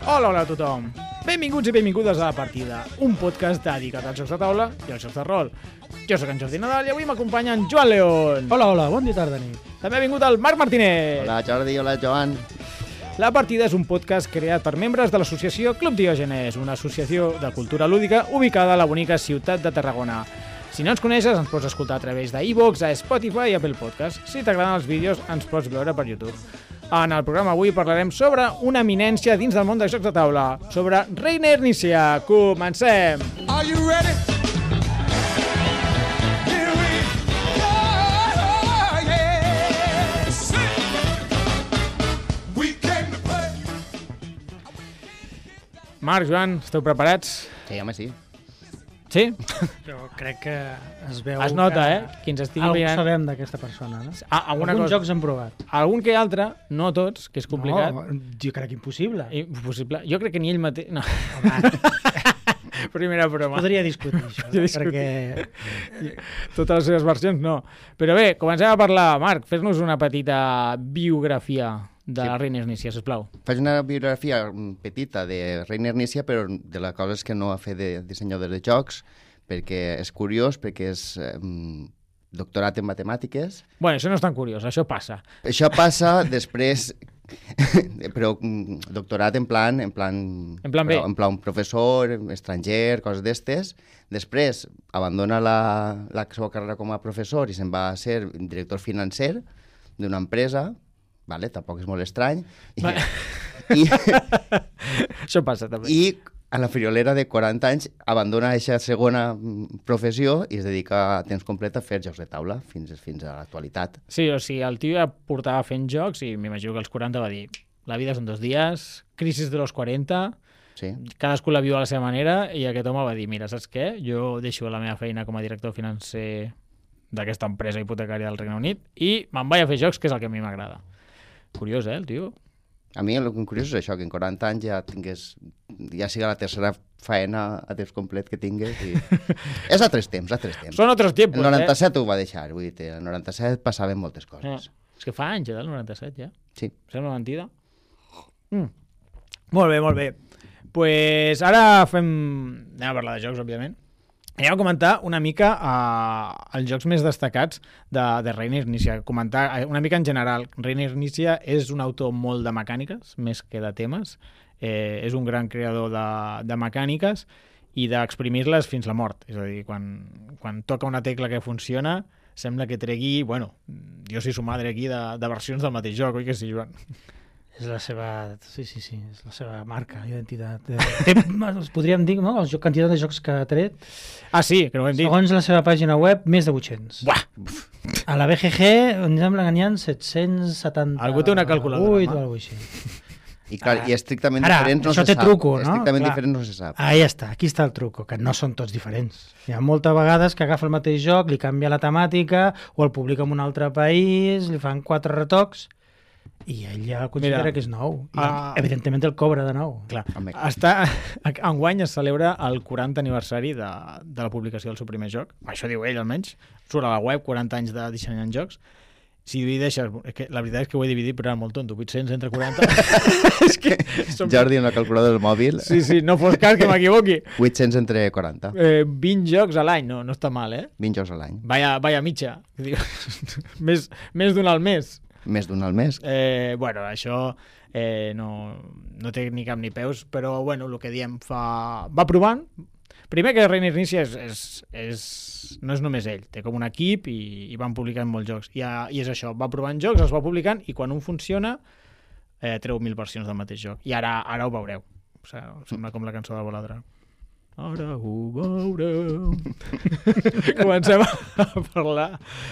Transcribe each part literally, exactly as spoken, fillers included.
Hola, hola a tothom. Benvinguts i benvingudes a La Partida, un podcast dedicat als jocs de taula i als jocs de rol. Jo sóc en Jordi Nadal i avui m'acompanya en Joan León. Hola, hola, bon dia, tarda, nit. També ha vingut el Marc Martínez. Hola Jordi, hola Joan. La Partida és un podcast creat per membres de l'associació Club Diògenes, una associació de cultura lúdica ubicada a la bonica ciutat de Tarragona. Si no ens coneixes, ens pots escoltar a través d'iVoox, a Spotify i Apple Podcast. Si t'agraden els vídeos, ens pots veure per YouTube. En el programa avui parlarem sobre una eminència dins del món dels jocs de taula, sobre Reiner Knizia. Comencem! Are you ready? Here we go, yeah. We came to play. Marc, Joan, esteu preparats? Sí, home, sí. Sí? Jo crec que es veu Es nota, que eh? Qui ens estigui algú mirant... sabem d'aquesta persona, no? Ah, alguna Alguns cosa... jocs hem provat. Algun que altre, no tots, que és complicat. No, jo crec impossible. Impossible. Jo crec que ni ell mateix... No. Home, Primera broma. podria discutir això, Podria no? discutir. perquè... Totes les seves versions, no. Però bé, comencem a parlar. Marc, fes-nos una petita biografia de Sí. Reiner Knizia, sisplau. Faig una biografia petita de Reiner Knizia, però de les coses que no ha fet de dissenyador de jocs, perquè és curiós, perquè és eh, doctorat en matemàtiques. Bueno, això no és tan curiós, això passa. Això passa després, però mm, doctorat en plan... En plan, En plan B. En plan professor, estranger, coses d'estes. Després abandona la, la seva carrera com a professor i se'n va a ser director financer d'una empresa, vale? Tampoc és molt estrany. I, Va. i, Això passa, també. I a la friolera de quaranta anys abandona aquesta segona mm, professió i es dedica a temps complet a fer jocs de taula fins, fins a l'actualitat. Sí, o sigui, el tio ja portava fent jocs i m'imagino que als quaranta va dir la vida són dos dies, crisis de los quaranta, Sí. cadascú la viu a la seva manera i aquest home va dir, mira, saps què? Jo deixo la meva feina com a director financer d'aquesta empresa hipotecària del Regne Unit i me'n vaig a fer jocs, que és el que a mi m'agrada. Curiós, eh, el tio? A mi el que curiós és això, que en quaranta anys ja tingués, ja siga la tercera faena a temps complet que tingués. I... és a tres temps, a tres temps. Són altres tiempos, El noranta-set ho va deixar, vull dir, el noranta-set passaven moltes eh? coses. eh? És que fa anys, eh, del noranta-set, ja. Sí. Sembla mentida. Mm. Molt bé, molt bé. Pues ara fem... Anem a parlar de jocs, òbviament. Anem a comentar una mica uh, els jocs més destacats de, de Reiner Knizia. Comentar uh, una mica en general. Reiner Knizia és un autor molt de mecàniques, més que de temes. Eh, és un gran creador de, de mecàniques i d'exprimir-les fins la mort. És a dir, quan, quan toca una tecla que funciona, sembla que tregui, bueno, jo soy su madre aquí, de, de versions del mateix joc, oi que sí, Joan? És la seva... Sí, sí, sí, és la seva marca, identitat. Té, es podríem dir, no?, la quantitat de jocs que ha tret. Ah, sí, que no ho hem dit. Segons la seva pàgina web, més de vuit-cents. Buah! A la B G G, em sembla que n'hi ha set-cents setanta... Algú té una calculadora, vuit home. o alguna cosa així. I, clar, Ah. i estrictament Ara, diferents no això se té sap. truco, no? Estrictament Clar. diferents no se sap. Ahí està, aquí està el truco, que no són tots diferents. Hi ha moltes vegades que agafa el mateix joc, li canvia la temàtica, o el publica en un altre país, li fan quatre retocs, i ell ja considera Mira, que és nou. I, ah. evidentment el cobra de nou. Clar, Home. està, enguany es celebra el quaranta aniversari de, de la publicació del seu primer joc. Això diu ell, almenys. Surt a la web, quaranta anys de dissenyant jocs. Si divideixes... És que la veritat és que ho he dividit, però era molt tonto. vuit-cents entre quaranta. És que... Som... Jordi, en la calculadora del mòbil, Sí, sí, no fos cas que m'equivoqui. vuit-cents entre quaranta. Eh, vint jocs a l'any, no, no està mal, eh? vint jocs a l'any. Vaya, vaya mitja. Diu, més més d'un al mes. Més d'un al mes. Eh, bueno, això eh, no, no té ni cap ni peus, però bueno, el que diem fa... va provant. Primer que Reiner Knizia és, és, és, no és només ell, té com un equip i, i van publicant molts jocs. I, I és això, va provant jocs, els va publicant i quan un funciona eh, treu mil versions del mateix joc. I ara ara ho veureu. O sigui, sembla com la cançó de Voladra. Ara ho veureu. Comencem a parlar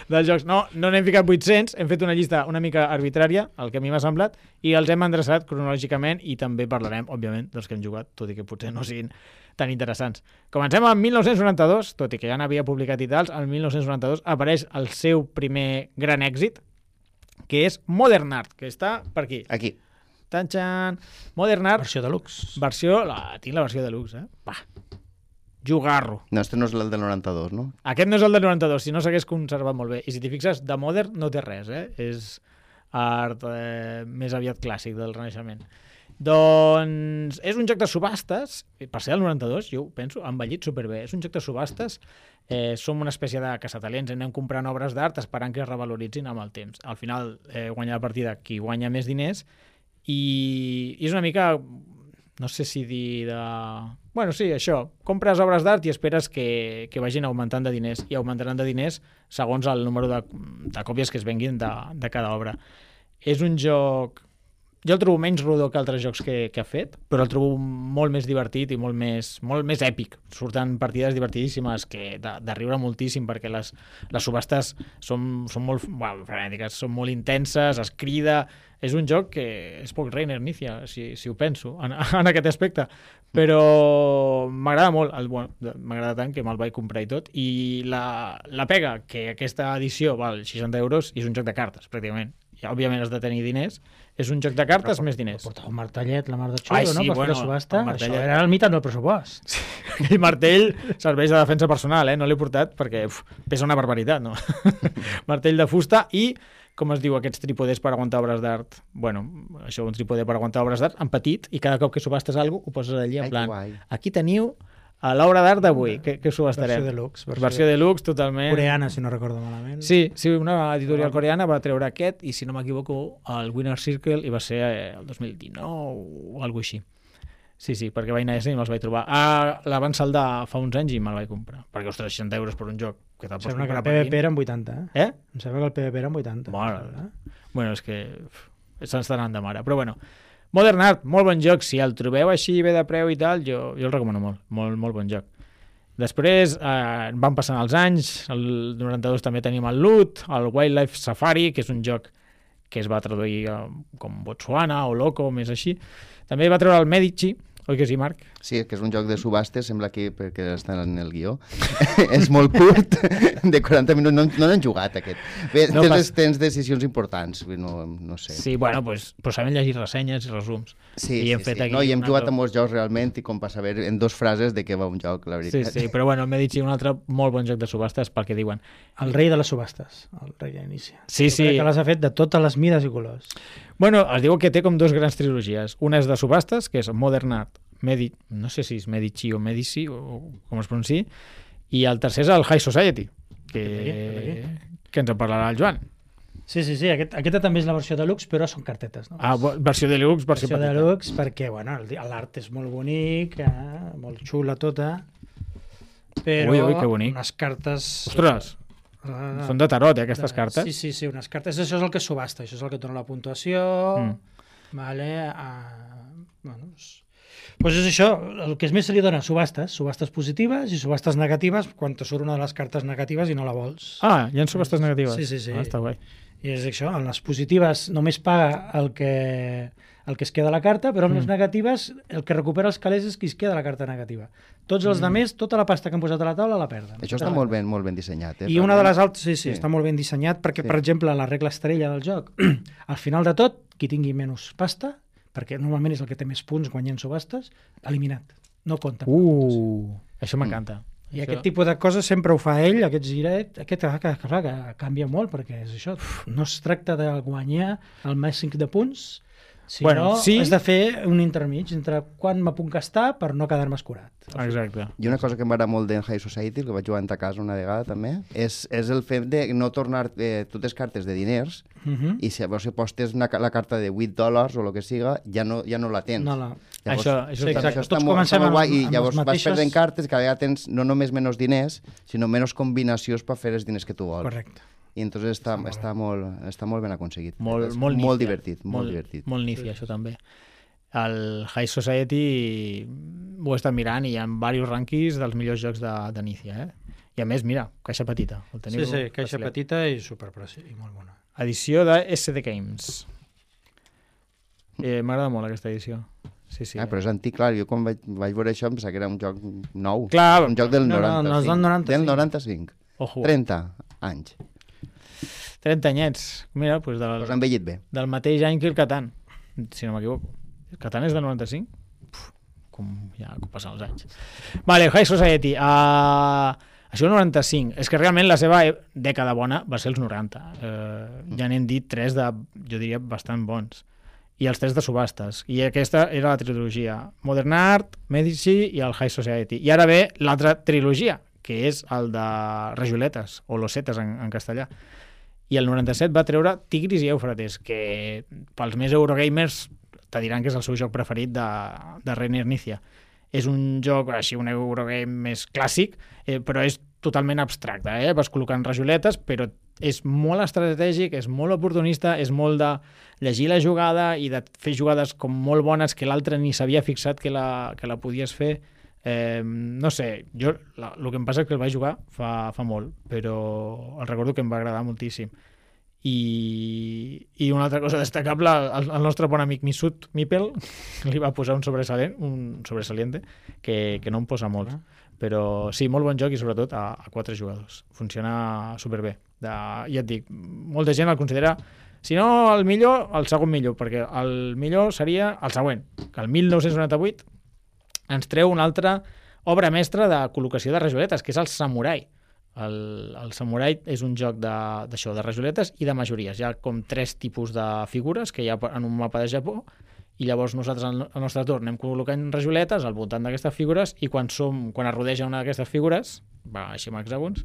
dels jocs. No, no n'hem ficat vuit-cents, hem fet una llista una mica arbitrària, el que a mi m'ha semblat, i els hem endreçat cronològicament i també parlarem, òbviament, dels que hem jugat, tot i que potser no siguin tan interessants. Comencem amb mil nou-cents noranta-dos, tot i que ja n'havia publicat i tals, el mil nou-cents noranta-dos apareix el seu primer gran èxit, que és Modern Art, que està per aquí. Aquí. Tan-xan! Modern Art, Versió deluxe. versió... La, tinc la versió deluxe, eh? Va. Jugarro. No, este no és el del noranta-dos, no? Aquest no és el del noranta-dos, si no s'hagués conservat molt bé. I si t'hi fixes, de Modern no té res, eh? És art eh, més aviat clàssic del Renaixement. Doncs és un joc de subhastes, per ser del noranta-dos, jo ho penso, ha envellit superbé. És un joc de subhastes, eh, som una espècie de caçatalents, anem comprant obres d'art esperant que es revaloritzin amb el temps. Al final eh, guanya la partida qui guanya més diners i, i és una mica, no sé si dir de... Bueno, sí, això, compres obres d'art i esperes que, que vagin augmentant de diners i augmentaran de diners segons el número de, de còpies que es venguin de, de cada obra. És un joc... Jo el trobo menys rodó que altres jocs que, que ha fet, però el trobo molt més divertit i molt més, molt més èpic. Surten partides divertidíssimes que de, de riure moltíssim perquè les, les subhastes són, són molt bueno, frenètiques, són molt intenses, es crida... És un joc que és poc Reiner Nícia, si, si ho penso, en, en aquest aspecte. Però m'agrada molt, el, bueno, m'agrada tant que me'l vaig comprar i tot. I la, la pega, que aquesta edició val seixanta euros i és un joc de cartes, pràcticament. I, òbviament has de tenir diners. És un joc de cartes però, més diners. Portava un martellet, la mar de xulo, Ai, sí, no? Per bueno, fer la subhasta. el martellet. Això era el mitat del pressupost. Sí, aquell martell serveix de defensa personal, eh? No l'he portat perquè uf, pesa una barbaritat, no? Martell de fusta i, com es diu, aquests trípodes per aguantar obres d'art. Bueno, això, un trípode per aguantar obres d'art en petit i cada cop que subhastes alguna cosa ho poses allí en Ai, plan, guai. aquí teniu a l'obra d'art d'avui, que, que subhastarem. Versió deluxe. Versió, versió deluxe, totalment. Coreana, si no recordo malament. Sí, sí, una editorial coreana va treure aquest i, si no m'equivoco, el Winner Circle i va ser el dos mil dinou o alguna així. Sí, sí, perquè vaig anar a ese i me'ls vaig trobar. Ah, la van saldar fa uns anys i me'l vaig comprar. Perquè, ostres, seixanta euros per un joc que te'l Em pots sembla que comprar el per P V P vint. era en vuitanta. Eh? Eh? Em sembla que el P V P era en vuitanta. Mare. Bueno, és que uf, se'ns està anant de mare. Però bueno, Modern Art, molt bon joc. Si el trobeu així bé de preu i tal, jo, jo el recomano molt. Molt, molt bon joc. Després eh, van passant els anys, el noranta-dos també tenim el Loot, el Wildlife Safari, que és un joc que es va traduir eh, com Botswana o Loco, més així. També va treure el Medici, oi que sí, Marc? Sí, que és un joc de subhastes, sembla que perquè està en el guió. És molt curt, de quaranta minuts, no, no n'han jugat aquest. Bé, No tens, pas- tens decisions importants, no, no sé. Sí, bueno, pues, pues sabem llegir ressenyes i resums. Sí, I sí, hem fet sí. aquí No, i hem un jugat altre- a molts jocs realment i com per saber en dos frases de què va un joc, la Sí, veritat. sí, però bueno, el Medici, un altre molt bon joc de subhastes, pel que diuen. El rei de les subhastes, el rei d'inici. Sí, Jo sí. crec que les ha fet de totes les mides i colors. Bueno, es diu que té com dos grans trilogies. Una és de subhastes, que és Modern Art, Medi... no sé si és Medici o Medici, o com es pronunciï, i el tercer és el High Society, que, Aquí, que ens en parlarà el Joan. Sí, sí, sí. Aquest, aquesta també és la versió deluxe, però són cartetes. No? Ah, bo- versió deluxe, versió, versió petita. deluxe, perquè bueno, el- l'art és molt bonic, eh? molt xula tota, però Ui, ui, que bonic. unes cartes... Ostres, Ah, són de tarot, eh, aquestes de- cartes. Sí, sí, sí, unes cartes. Això és el que subhasta, això és el que dona la puntuació. Mm. Vale, ah, bueno, és... Pues és això, el que més se li dona, subhastes, subhastes positives i subhastes negatives quan te surt una de les cartes negatives i no la vols. Ah, hi ha subhastes negatives. Sí, sí, sí. Ah, està guai. I és això, en les positives només paga el que, el que es queda a la carta, però en les Mm. negatives el que recupera els calés és qui es queda a la carta negativa. Tots els Mm. demés, tota la pasta que han posat a la taula la perden. Això està molt ben, molt ben dissenyat. Eh? I una de les altres, sí, sí, Sí. està molt ben dissenyat perquè, Sí. per exemple, la regla estrella del joc, al final de tot, qui tingui menys pasta, perquè normalment és el que té més punts guanyant subhastes, eliminat. No compta. Uh, això m'encanta. I Això- aquest tipus de coses sempre ho fa ell, aquests girets, aquest que, que, que, que canvia molt, perquè és això, no es tracta de guanyar el màxim de punts, sinó Bueno, sí. has de fer un intermig entre quan me puc gastar per no quedar-me escurat. Exacte. I una cosa que m'agrada molt d'en High Society, que vaig jugar a casa una vegada també, és, és el fet de no tornar eh, totes cartes de diners Uh -huh. i si llavors si postes una, ca- la carta de vuit dòlars o el que siga, ja no, ja no la tens. No la... Llavors, Això- això Sí, està- exacte. això està Tots molt, comencem està molt amb- guai i amb llavors les vas mateixes- perdent cartes, cada vegada tens no només menys diners, sinó menys combinacions per fer els diners que tu vols. Correcte. I entonces està, molt està, molt, està molt ben aconseguit. Molt, És molt, molt nícia. divertit, molt, divertit. Molt nícia, això també. El High Society ho he estat mirant i hi ha diversos rànquings dels millors jocs de, de Nícia, eh? I a més, mira, caixa petita. El teniu Sí, sí, caixa brasilet. petita i superpreci, i molt bona. Edició de S D Games. Eh, M'agrada molt aquesta edició. Sí, sí. Ah, però és antic, clar, jo quan vaig, vaig veure això em pensava que era un joc nou. Clar, un joc del no, no, noranta-cinc. no, és del noranta-cinc. Del noranta-cinc. ojo, trenta anys. trenta anyets. Mira, doncs del, Pues ha envellit bé. del mateix any que el Catan, si no m'equivoco. El Catan és del noranta-cinc? Puf, com ja com passen els anys. Vale, High Society. Uh, això el noranta-cinc. És que realment la seva e- dècada bona va ser els noranta. Uh, ja n'hem dit tres de, jo diria, bastant bons. i els tres de subhastes. I aquesta era la trilogia. Modern Art, Medici i el High Society. I ara ve l'altra trilogia, que és el de Rajoletes, o Losetes en, en castellà. I el noranta-set va treure Tigris i Éufrates, que pels més Eurogamers te diran que és el seu joc preferit de, de Reiner Knizia. És un joc, així, un Eurogame més clàssic, eh, però és totalment abstracte. Eh? Vas col·locant rajoletes, però és molt estratègic, és molt oportunista, és molt de llegir la jugada i de fer jugades com molt bones que l'altre ni s'havia fixat que la, que la podies fer. Eh, no sé, jo la, el que em passa és que el vaig jugar fa, fa molt, però el recordo que em va agradar moltíssim. I, i una altra cosa destacable, el, el nostre bon amic Misut Mipel li va posar un sobresalent, un sobresaliente que, que no em posa molt, però sí, molt bon joc i sobretot a, a quatre jugadors, funciona superbé. De, ja et dic, molta gent el considera, si no el millor, el segon millor, perquè el millor seria el següent, que el mil nou-cents noranta-vuit ens treu una altra obra mestra de col·locació de rajoletes, que és el Samurai. El, el Samurai és un joc d'això, de, de rajoletes i de majories. Hi ha com tres tipus de figures que hi ha en un mapa de Japó i llavors nosaltres al, al nostre torn anem col·locant rajoletes al voltant d'aquestes figures i quan, som, quan es rodeja una d'aquestes figures, va així amb hexàgons,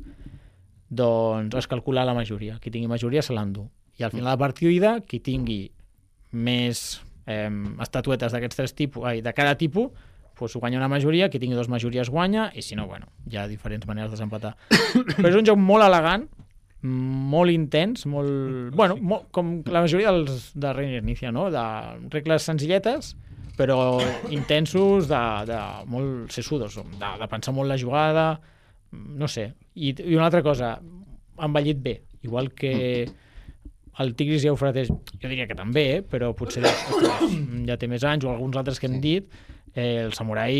doncs es calcula la majoria. Qui tingui majoria se l'endú. I al final de la partida, qui tingui més eh, estatuetes d'aquests tres tipus, ai, de cada tipus, pues guanya una majoria, qui tingui dues majories guanya, i si no, bueno, hi ha diferents maneres de desempatar. Però és un joc molt elegant, molt intens, molt... Bueno, molt, com la majoria dels de Reiner Knizia, no? De regles senzilletes, però intensos, de, de molt sesudos, de, de pensar molt la jugada, no sé. I, i una altra cosa, ha envellit bé, igual que el Tigris i Éufrates, jo diria que també, eh? Però potser ostres, ja té més anys, o alguns altres que hem dit, eh, el Samurai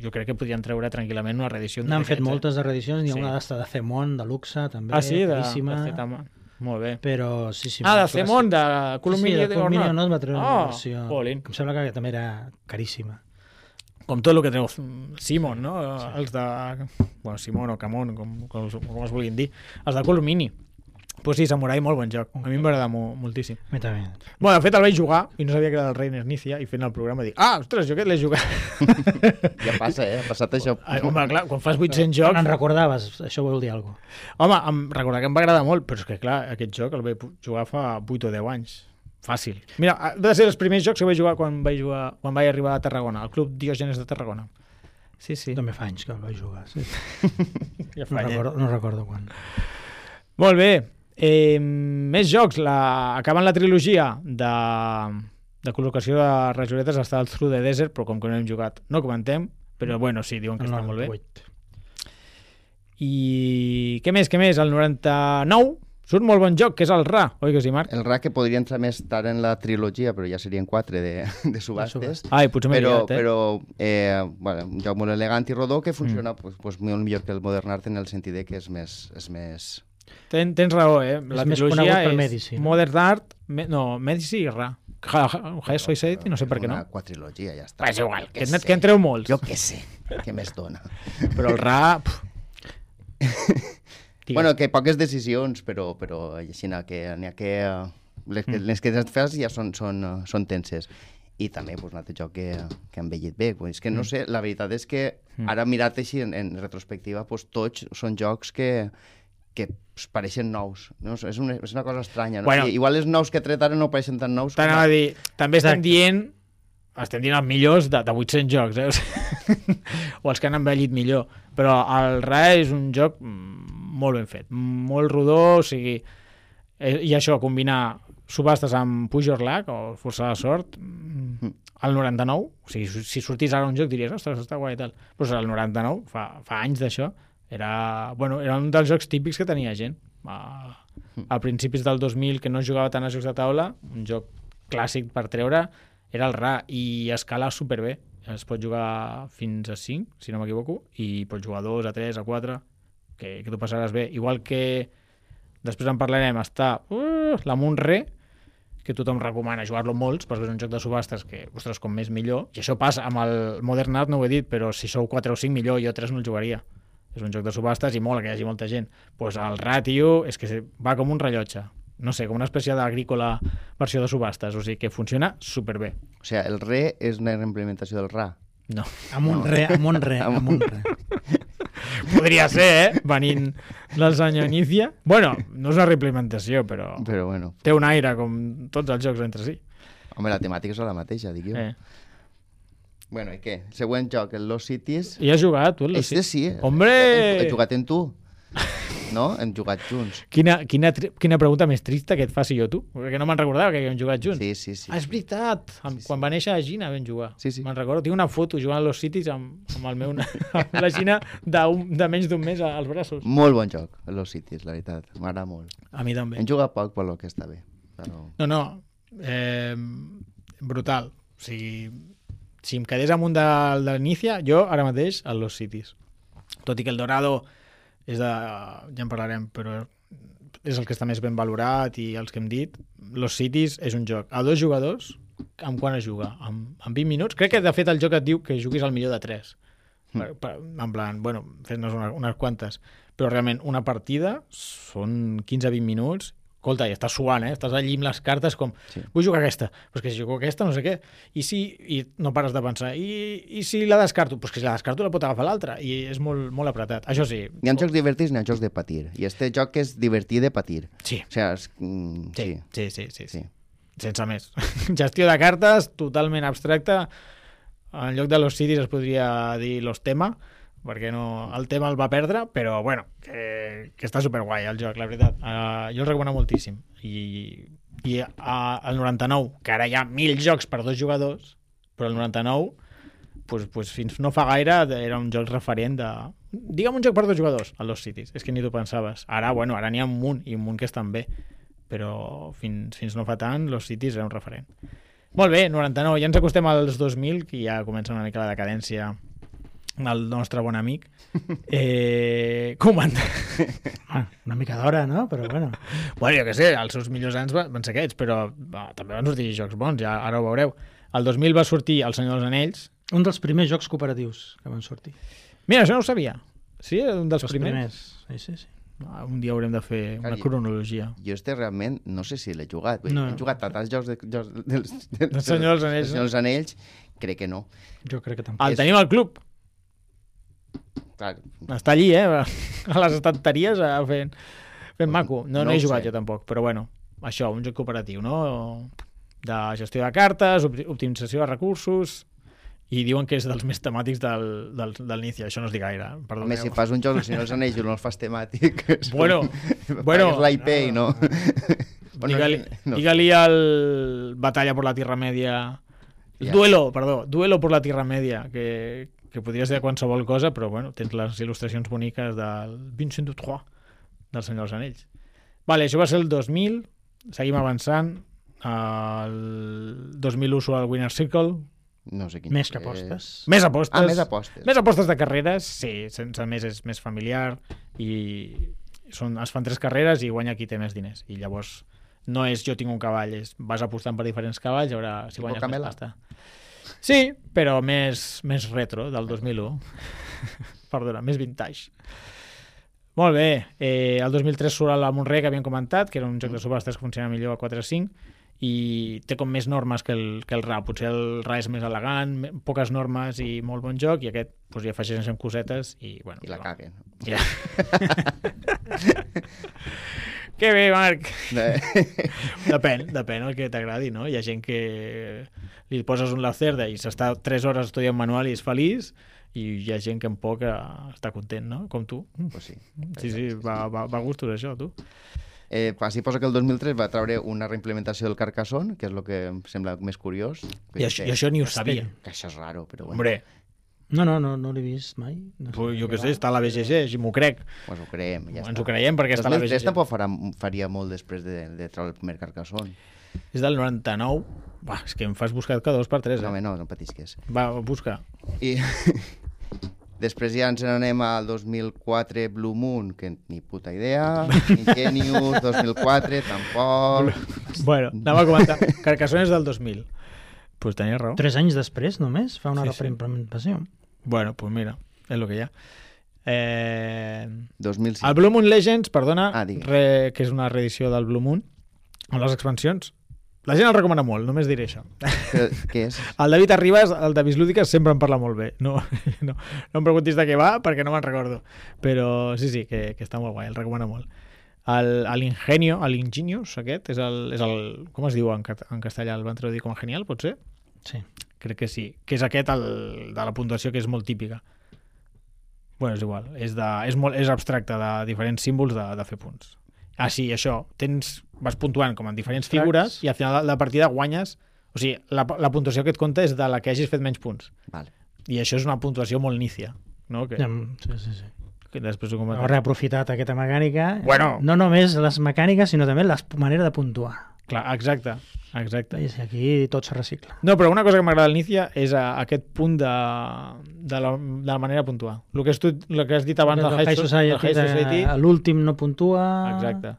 jo crec que podrien treure tranquil·lament una reedició. N'han fet eh? moltes de reedicions, n'hi ha Sí. una d'esta de Zemon, de luxe, també, Ah, sí? De, caríssima, de Zetama. Molt bé. però sí, sí. Ah, de molt Zemon, de clàssic. Columini Sí, sí, de de Columini Ornat. no es va treure Ah, una versió. jolín. Em sembla que també era caríssima. Com tot el que treu Simon, no? Sí. Els de... Bueno, Simon o Camon, com, com, com es vulguin dir. Els de Columini. Pues sí, Samurai, molt bon joc. A mi em va agradar mo moltíssim. A mi també. Bueno, de fet el vaig jugar i no sabia que era del Reiner Knizia i fent el programa dic, ah, ostres, jo aquest l'he jugat. Ja passa, eh? Ha passat això. Ai, home, clar, quan fas vuit-cents Quan jocs... en recordaves, això vol dir alguna cosa. Home, em recordar que em va agradar molt, però és que clar, aquest joc el vaig jugar fa vuit o deu anys. Fàcil. Mira, va ser els primers jocs que vaig jugar quan vaig, jugar, quan vaig arribar a Tarragona, al Club Diògenes de Tarragona. Sí, sí. També fa anys que el vaig jugar. Sí. Ja No, fa anys. recordo, no recordo quan. Molt bé. Eh, més jocs. La... Acaben la trilogia de, de col·locació de rajoletes està el Through the Desert, però com que no hem jugat no comentem, però bueno, sí, diuen que El està molt bé. noranta-vuit. I què més, què més? El noranta-nou surt molt bon joc, que és el Ra, oi que sí, Marc? El R A que podria entrar més tard en la trilogia, però ja serien quatre de, de subhastes. Ai, potser m'he Però, liat, eh? però eh, bueno, un joc molt elegant i rodó que funciona mm. pues, pues, molt millor que el Modern Art en el sentit de que és més... És més... Ten, tens raó, eh? La És més trilogia conegut per és Medici, no? Modern Art, me, no, Medici i Ra. High Society, no sé per què no. Una quadrilogia, ja està. Va, és igual, que, sé. que en treu molts. Jo què sé, què més dona. Però el Ra... Pff. Bueno, que poques decisions, però, però així n'hi ha que... N'hi ha que les, que les que et fas ja són, són, eh, són tenses. I també pues, un altre joc que, que ha envellit bé. Pues, és que no sé, la veritat és que ara mirat així en, en retrospectiva, pues, tots són jocs que, que pues, pareixen nous. No? És, una, és una cosa estranya. No? Bueno. I, igual els nous que he tret ara no pareixen tan nous. T'anava a dir, també estem Exacte. dient estem dient els millors de, de vuit-cents jocs, eh? O sigui, o els que han envellit millor. Però el Ra és un joc molt ben fet, molt rodó, o sigui, eh, i això, combinar subhastes amb Puix or Luck, o Força de Sort, al noranta-nou, o sigui, si sortís ara un joc diries, ostres, està guai i tal. Però al noranta-nou, fa, fa anys d'això, era, bueno, era un dels jocs típics que tenia gent. A, a principis del dos mil, que no jugava tant a jocs de taula, un joc clàssic per treure, era el Ra, i escala superbé. Es pot jugar fins a cinc, si no m'equivoco, i pots jugar a dos, a tres, a quatre, que, que t'ho passaràs bé. Igual que, després en parlarem, està uh, la Munre, que tothom recomana jugar-lo molts, perquè és un joc de subhastes que, ostres, com més millor. I això passa, amb el Modern Art no ho he dit, però si sou quatre o cinc millor, jo tres no el jugaria. És un joc de subhastes i mola que hi hagi molta gent. Doncs pues el Ra, tio, és que va com un rellotge. no sé, com una espècie d'agrícola versió de subhastes, o sigui que funciona superbé. O sigui, el re és una implementació del ra. No. Amb un re, amb un re, amb un re. Podria ser, eh? Venint del senyor Inicia. Bueno, no és una reimplementació, però Però bueno, té un aire com tots els jocs entre si. home, la temàtica és la mateixa, dic jo. Eh. Bueno, i què? Següent joc, el Lost Cities. I has jugat, tu? el Este sí. Hombre! He jugat en tu. No? Hem jugat junts. Quina, quina, tri- quina pregunta més trista que et faci jo, tu. Perquè no me'n recordava que havíem jugat junts. Sí, sí, sí. Ah, és veritat. Amb, Sí, sí. Quan va néixer la Gina vam jugar. Sí, sí. Me'n recordo. Tinc una foto jugant a los Cities amb, amb, el meu, amb la Gina d'un- de menys d'un mes als braços. Molt bon joc, el Lost Cities, la veritat. M'agrada molt. A mi també. Hem jugat poc, per lo que està bé. Però... No, no. Eh, brutal. O sigui, si em quedés amunt de, de l'Inicia, jo ara mateix a los Cities. Tot i que el Dorado és de... ja en parlarem, però és el que està més ben valorat i els que hem dit. Los Cities és un joc a dos jugadors. Amb quan es juga? Amb, amb vint minuts? Crec que de fet el joc et diu que juguis al millor de tres. Per, per, en plan, bueno, fes-nos una, unes quantes. Però realment una partida són quinze a vint minuts. Escolta, i estàs suant, eh? Estàs allí amb les cartes com, Sí. vull jugar aquesta, però és que si jugo aquesta no sé què, i si, i no pares de pensar, i, i si la descarto, doncs que si la descarto la pot agafar l'altra, i és molt, molt apretat. Això sí. Hi ha jocs divertits i hi ha jocs de patir. I este joc és divertit de patir. Sí, O sigui, és... mm, sí, sí. sí, sí, sí, sí. sí. Sense més. Gestió de cartes, totalment abstracta. En lloc de los cities es podria dir los tema, perquè no, el tema el va perdre, però bueno, que, que està superguai el joc, la veritat. Uh, jo el recomano moltíssim. I, i uh, el noranta-nou, que ara hi ha mil jocs per dos jugadors, però el noranta-nou, pues, pues fins no fa gaire era un joc referent de... Digue'm un joc per dos jugadors, el Lost Cities. És que ni t'ho pensaves. Ara, bueno, ara n'hi ha un munt, i un munt que estan bé. Però fins, fins no fa tant, Lost Cities era un referent. Molt bé, noranta-nou. Ja ens acostem als dos mil, que ja comença una mica la decadència el nostre bon amic. Eh, comanda. Ah, una mica d'hora, no? Però bueno. Bueno, jo què sé, els seus millors anys van, van ser aquests, però va, també van sortir jocs bons, ja ara ho veureu. El dos mil va sortir El Senyor dels Anells. Un dels primers jocs cooperatius que van sortir. Mira, això no ho sabia. Sí, un dels Els primers. primers. Sí, sí, sí. Ah, un dia haurem de fer una Calle. cronologia. Jo este realment no sé si l'he jugat. Vull dir, No. He jugat a tants jocs de, jocs dels, dels, Del Senyor dels Anells, del Senyor dels Anells, crec que no. Jo crec que tampoc. El És- tenim al club. Clar, Està allí, eh? A les estanteries eh, fent, fent maco. No, no, No he ho jugat sé. jo tampoc, però bueno, això, un joc cooperatiu, no? De gestió de cartes, opti- optimització de recursos, i diuen que és dels més temàtics del, del, del Inicia. Això no es diu gaire, home, perdoneu. si fas un joc del Senyor dels Anells i no el fas temàtic... és com- Bueno, bueno, pagues la I P i no... Bueno, Digue-li no. digue-li al Batalla por la Tierra Media... Ja. Duelo, perdó, Duelo por la Tierra Media, que, que podria ser qualsevol cosa, però bueno, tens les il·lustracions boniques del Vincent Dutroux, del Senyor dels Anells. Vale, això va ser el dos mil, seguim avançant. El dos mil u surt el Winner Circle, No sé quin Més que és. apostes. més apostes. Ah, més apostes. Més apostes de carreres, sí, sense més és més familiar i són, es fan tres carreres i guanya qui té més diners. I llavors no és jo tinc un cavall, és vas apostant per diferents cavalls, a veure si Tipo guanyes Camela. més pasta. Sí, però més, més retro, del dos mil u. Perdona, més vintage. Molt bé. Eh, el dos mil tres surt la Monrey, que havíem comentat, que era un joc de subhastes que funciona millor a quatre a cinc, i té com més normes que el, que el R A. Potser el R A és més elegant, me- poques normes i molt bon joc, i aquest doncs, hi afegeixen cosetes i, bueno, I la va. caguen. Ja. Que bé, Marc. Depèn, depèn el que t'agradi, no? Hi ha gent que li poses un lacerda i s'està tres hores estudiant manual i és feliç, i hi ha gent que en poc eh, està content, no? Com tu. Pues sí. Sí, sí, va, va, va a gustos això, tu. Eh, així posa que el dos mil tres va treure una reimplementació del Carcassonne, que és el que em sembla més curiós. I això, i això ni ho sabia. Que això és raro, però bueno, Hombre, No, no, no, no l'he vist mai. No pues, jo de què sé, està a la B G G, i m'ho crec. pues ho creiem. Ja Ens està. ho creiem perquè està a la dos mil tres B G G. tampoc farà, faria molt després de, de treure el primer Carcassonne. És del noranta-nou. Va, és que em fas buscar cada dos per tres, No, eh? home, no, no patisques. Va, busca. I després ja ens n'anem al dos mil quatre Blue Moon, que ni puta idea. Ingenius, dos mil quatre, tampoc. Bueno, anem a comentar. Carcassonne és del dos mil. Pues tenies raó. Tres anys després, només, fa una Sí, sí, sí. reimplementació. Bueno, pues mira, és lo que hi ha. Eh... dos mil cinc. El Blue Moon Legends, perdona, Ah, digues. re, que és una reedició del Blue Moon, amb les expansions. La gent el recomana molt, només diré això. Però, què és? El David Arribas, el de Bislúdiques, sempre en parla molt bé. No, no, no em preguntis de què va, perquè no me'n recordo. Però sí, sí, que, que està molt guai, el recomana molt. El, l'Ingenio, l'Ingenious, aquest, és el, és el... Com es diu en, en castellà? El van traduir com a genial, pot ser? Sí. Crec que sí. Que és aquest, el, de la puntuació, que és molt típica. Bueno, és igual. És, de, és, molt, és abstracte, de diferents símbols de, de fer punts. Ah, sí, això. Tens, vas puntuant com en diferents Abstracts. figures i al final de la partida guanyes... O sigui, la, la puntuació que et compta és de la que hagis fet menys punts. Vale. I això és una puntuació molt nícia, no? Que, Ja, sí, sí, sí. que després ho Heu comentem. reaprofitat aquesta mecànica. Bueno. No només les mecàniques, sinó també la manera de puntuar. Clar, exacte, exacte. I aquí tot se recicla. No, però una cosa que m'agrada al Nícia és a, aquest punt de, de, la, de la manera de puntuar. El que has, tu, el que has dit abans del El High, High Society, Society, High Society de- l'últim no puntua. exacte.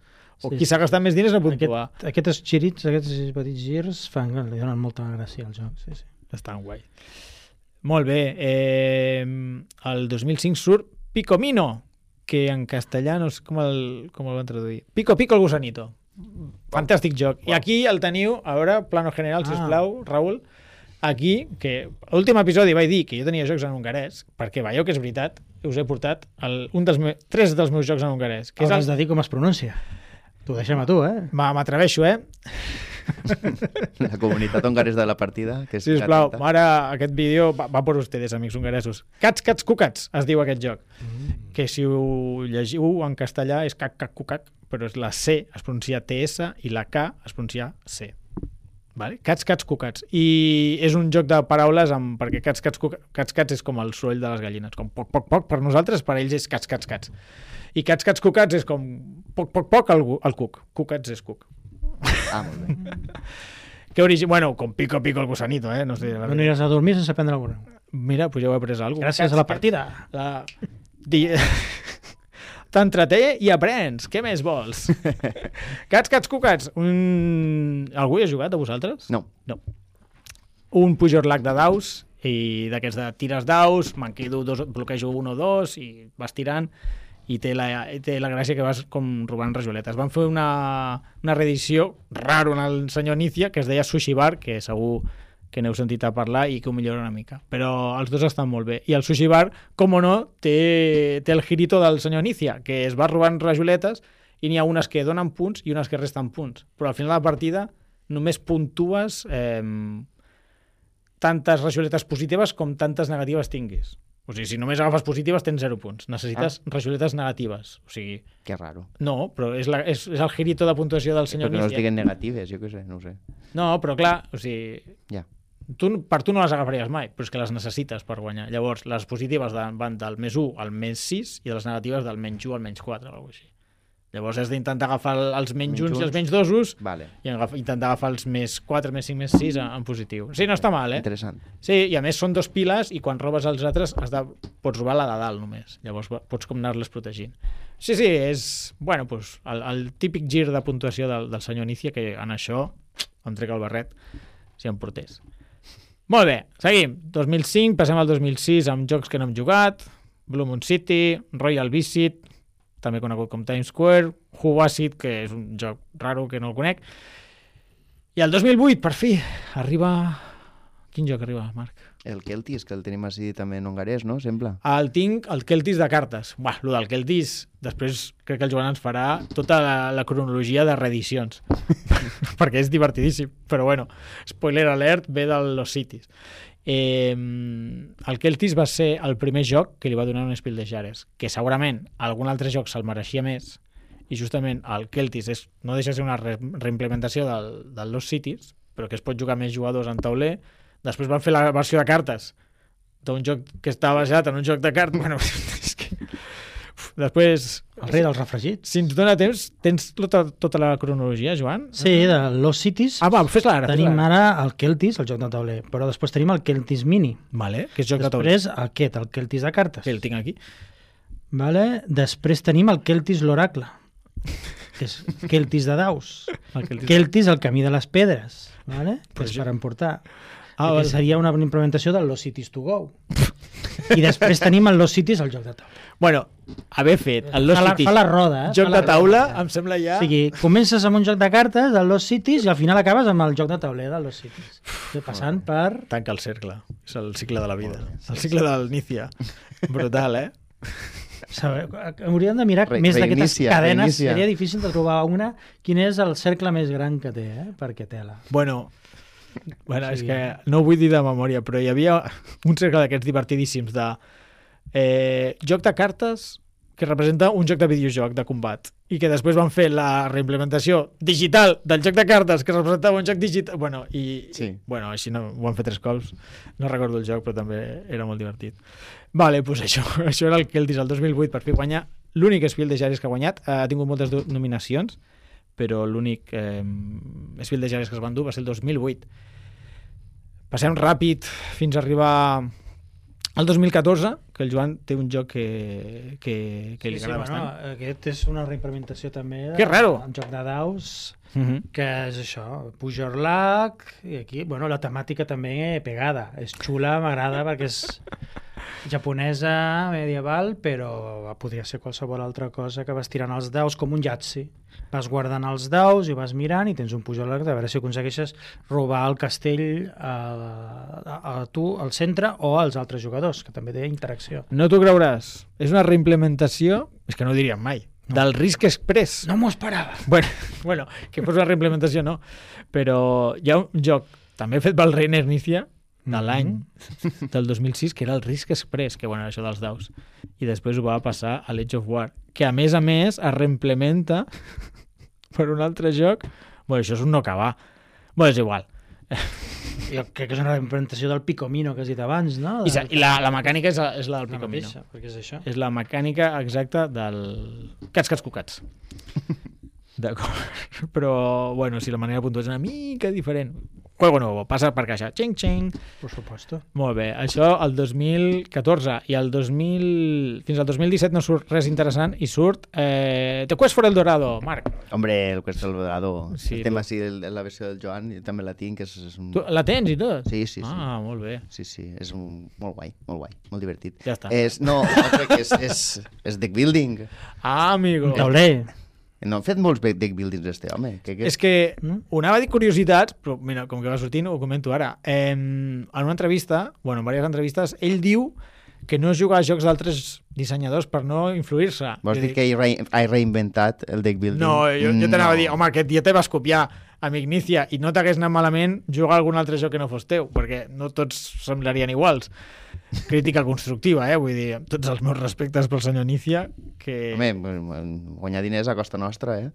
O Sí, qui s'ha gastat més diners no Aquest, puntua. aquests girits, aquests petits girs fan, li donen molta gràcia al joc. Sí, sí. Estan guai. Molt bé. Eh, el dos mil cinc surt Picomino, que en castellà no sé com el, com el van traduir. Pico Pico el gusanito. Fantàstic joc. I aquí el teniu, a veure, plano general, Ah. sisplau, Raül. Aquí, que l'últim episodi vaig dir que jo tenia jocs en hongarès, perquè veieu que és veritat, us he portat el, un dels me, tres dels meus jocs en hongarès. Que és Hauràs el, de dir com es pronuncia. T'ho deixem a tu, eh? Ma- m'atreveixo, eh? La comunitat hongaresa de la partida. Que és Sisplau, atenta. ara aquest vídeo va, va per ustedes, amics hongaresos. Cats, cats, cucats, es diu aquest joc. Mm. Que si ho llegiu en castellà és cac, cac, cucac, però és la C es pronuncia T S i la K es pronuncia C. Vale? Cats, cats, cucats. I és un joc de paraules amb, perquè cats, cats, cucats, cats, cats és com el soroll de les gallines, com poc, poc, poc, per nosaltres, per ells és cats, cats, cats. I cats, cats, cucats és com poc, poc, poc el, el cuc. Cucats és cuc. Ah, molt bé. Que origi... Bueno, com pico, pico el gusanito, eh? No sé, la No veritat. aniràs a dormir sense prendre alguna. Mira, pues ja ho he après alguna cosa. Gràcies a la partida. La... Di... T'entreté i aprens. Què més vols? Cats, cats, cucats. Un... Algú hi ha jugat, a vosaltres? No. No. Un Pujol Lac de daus, i d'aquests de tires daus, me'n quedo dos, bloquejo un o dos, i vas tirant, i té la, té la gràcia que vas com robant rajoletes. Van fer una, una reedició raro en el senyor Nícia, que es deia Sushi Bar, que segur que n'heu sentit a parlar i que ho millora una mica. Però els dos estan molt bé. I el Sushi Bar, com o no, té, té el girito del senyor Nícia, que es va robant rajoletes i n'hi ha unes que donen punts i unes que resten punts. Però al final de la partida només puntues eh, tantes rajoletes positives com tantes negatives tinguis. O sigui, si només agafes positives tens zero punts. Necessites ah. rajoletes negatives. O sigui, Que raro. no, però és, la, és, és el girito de puntuació del senyor Perquè no es Nícia. diguen negatives, jo què sé, no ho sé. No, però clar, o sigui, Ja. tu, per tu no les agafaries mai, però és que les necessites per guanyar. Llavors, les positives de, van del més u al més sis i les negatives del menys u al menys quatre o alguna cosa així. Llavors has d'intentar agafar els menys Menys uns i els uns. menys dosos Vale. i agaf, intentar agafar els més quatre, més cinc, més sis en, en positiu. Sí, no està mal, eh? Interessant. Sí, i a més són dos piles i quan robes els altres has de, pots robar la de dalt només. Llavors va- pots com anar-les protegint. Sí, sí, és bueno, pues, el, el típic gir de puntuació del, del senyor Nícia, que en això em trec el barret si em portés. Molt bé, seguim. dos mil cinc, passem al dos mil sis amb jocs que no hem jugat. Blue Moon City, Royal Visit, també conegut com Times Square, Who Was It, que és un joc raro que no el conec. I el dos mil vuit, per fi, arriba... Quin joc arriba, Marc? El Keltis, que el tenim així també en hongarès, no? Sembla. El tinc, el Keltis de cartes. Buah, lo del Keltis, després crec que el Joan ens farà tota la, la cronologia de reedicions. Perquè és divertidíssim. Però bueno, spoiler alert, ve de Los Cities. Eh, el Keltis va ser el primer joc que li va donar un Spiel des Jahres, que segurament algun altre joc se'l mereixia més, i justament el Keltis és, no deixa de ser una re reimplementació del, del Lost Cities, però que es pot jugar més jugadors en tauler. Després van fer la versió de cartes d'un joc que estava basat en un joc de cartes. Bueno, és que... Uf, després, El rei dels refregits. si ens dona temps, tens tota, tota la cronologia, Joan? Sí, de Lost Cities. Ah, va, fes-la ara. Tenim fes-la ara el Keltis, el joc de tauler, però després tenim el Keltis Mini. Vale, que és joc de tauler. Després aquest, el Keltis de cartes. Sí, el tinc aquí. Vale? Després tenim el Keltis l'Oracle, que és Keltis de daus. El Keltis. Keltis el camí de les pedres, vale? Pues Pues jo- per emportar. Ah, que vale. seria una implementació del Lost Cities to Go. I després tenim el Lost Cities, el joc de taula. Bueno, haver fet el Lost fa, la, Cities, fa la roda. Eh? joc fa la de taula, roda. em sembla ja... O sigui, comences amb un joc de cartes, el Lost Cities, i al final acabes amb el joc de tauler del Lost Cities. Passant per... Tanca el cercle. És el cicle de la vida. El cicle del Nícia. Brutal, eh? Saber, hauríem de mirar Re- més d'aquestes reinicia, cadenes. reinicia. Seria difícil de trobar una. Quin és el cercle més gran que té, eh? Perquè tela. Bueno, bueno Sí. és que no ho vull dir de memòria, però hi havia un cercle d'aquests divertidíssims de eh, joc de cartes que representa un joc de videojoc de combat i que després van fer la reimplementació digital del joc de cartes que representava un joc digital. Bueno, i, Sí. i bueno, així no, ho han fet tres cops. No recordo el joc, però també era molt divertit. Vale, doncs això, això era el Keltis el dos mil vuit per fi guanyar. L'únic Spiel des Jahres que ha guanyat. Ha tingut moltes do- nominacions, però l'únic eh, Spiel des Jahres que es van dur va ser el dos mil vuit. Passem ràpid fins a arribar al dos mil catorze, que el Joan té un joc que, que, que li agrada bueno, bastant. aquest és una reimplementació també de, Que raro! un joc de daus Uh -huh. que és això, puja Orlac i aquí, bueno, la temàtica també pegada, és xula, m'agrada perquè és japonesa, medieval, però podria ser qualsevol altra cosa que vas tirant els daus com un Yahtzee. Vas guardant els daus i vas mirant i tens un pujol de veure si aconsegueixes robar el castell a, a, a tu, al centre, o als altres jugadors, que també té interacció. No t'ho creuràs. És una reimplementació, és que no ho diríem mai, no. del Risk Express. No m'ho esperava. Bueno, bueno, que fos una reimplementació no, però hi ha un joc també fet pel Reiner Nícia de l'any del dos mil sis, que era el Risk Express, que bueno, això dels daus. I després ho va passar a l'Age of War, que a més a més es reimplementa per un altre joc. Bueno, això és un no acabar. Bueno, és igual. Jo crec que és una reimplementació del Picomino que has dit abans, no? I, sa- i la, la mecànica és, la- és la del la Picomino. mateixa, perquè és això. És la mecànica exacta del Cats, Cats, Cucats. D'acord. Però, bueno, si la manera de puntuar és una mica diferent. Juego nuevo, passa per caixa. Xing, xing. Por supuesto. Molt bé. Això el dos mil catorze. I el dos mil... fins al dos mil disset no surt res interessant i surt eh, The Quest for El Dorado, Marc. Hombre, el Quest del Dorado. Sí, el tema tu- sí, el, la versió del Joan, jo també la tinc, és, és un... Tu la tens i tot? Sí, sí, sí. Ah, molt bé. Sí, sí, és un... molt guai, molt guai, molt divertit. Ja està. És, no, jo crec que és, és, és deck building. Ah, amigo. Un tauler. No han fet molts deck buildings, este home. Que, que... És que No? ho anava a dir curiositats, però mira, com que va sortint ho comento ara. Eh, en una entrevista, bueno, en diverses entrevistes, ell diu que no juga a jocs d'altres dissenyadors per no influir-se. Vols Jo dir dic, que he, re he reinventat el deck building? No, jo, jo t'anava No. a dir, home, aquest dia te vas copiar amb Ignicia i no t'hagués anat malament jugar a algun altre joc que no fos teu, perquè no tots semblarien iguals. Crítica constructiva, eh? Vull dir, amb tots els meus respectes pel senyor Nícia, que... Home, guanyar diners a costa nostra, eh?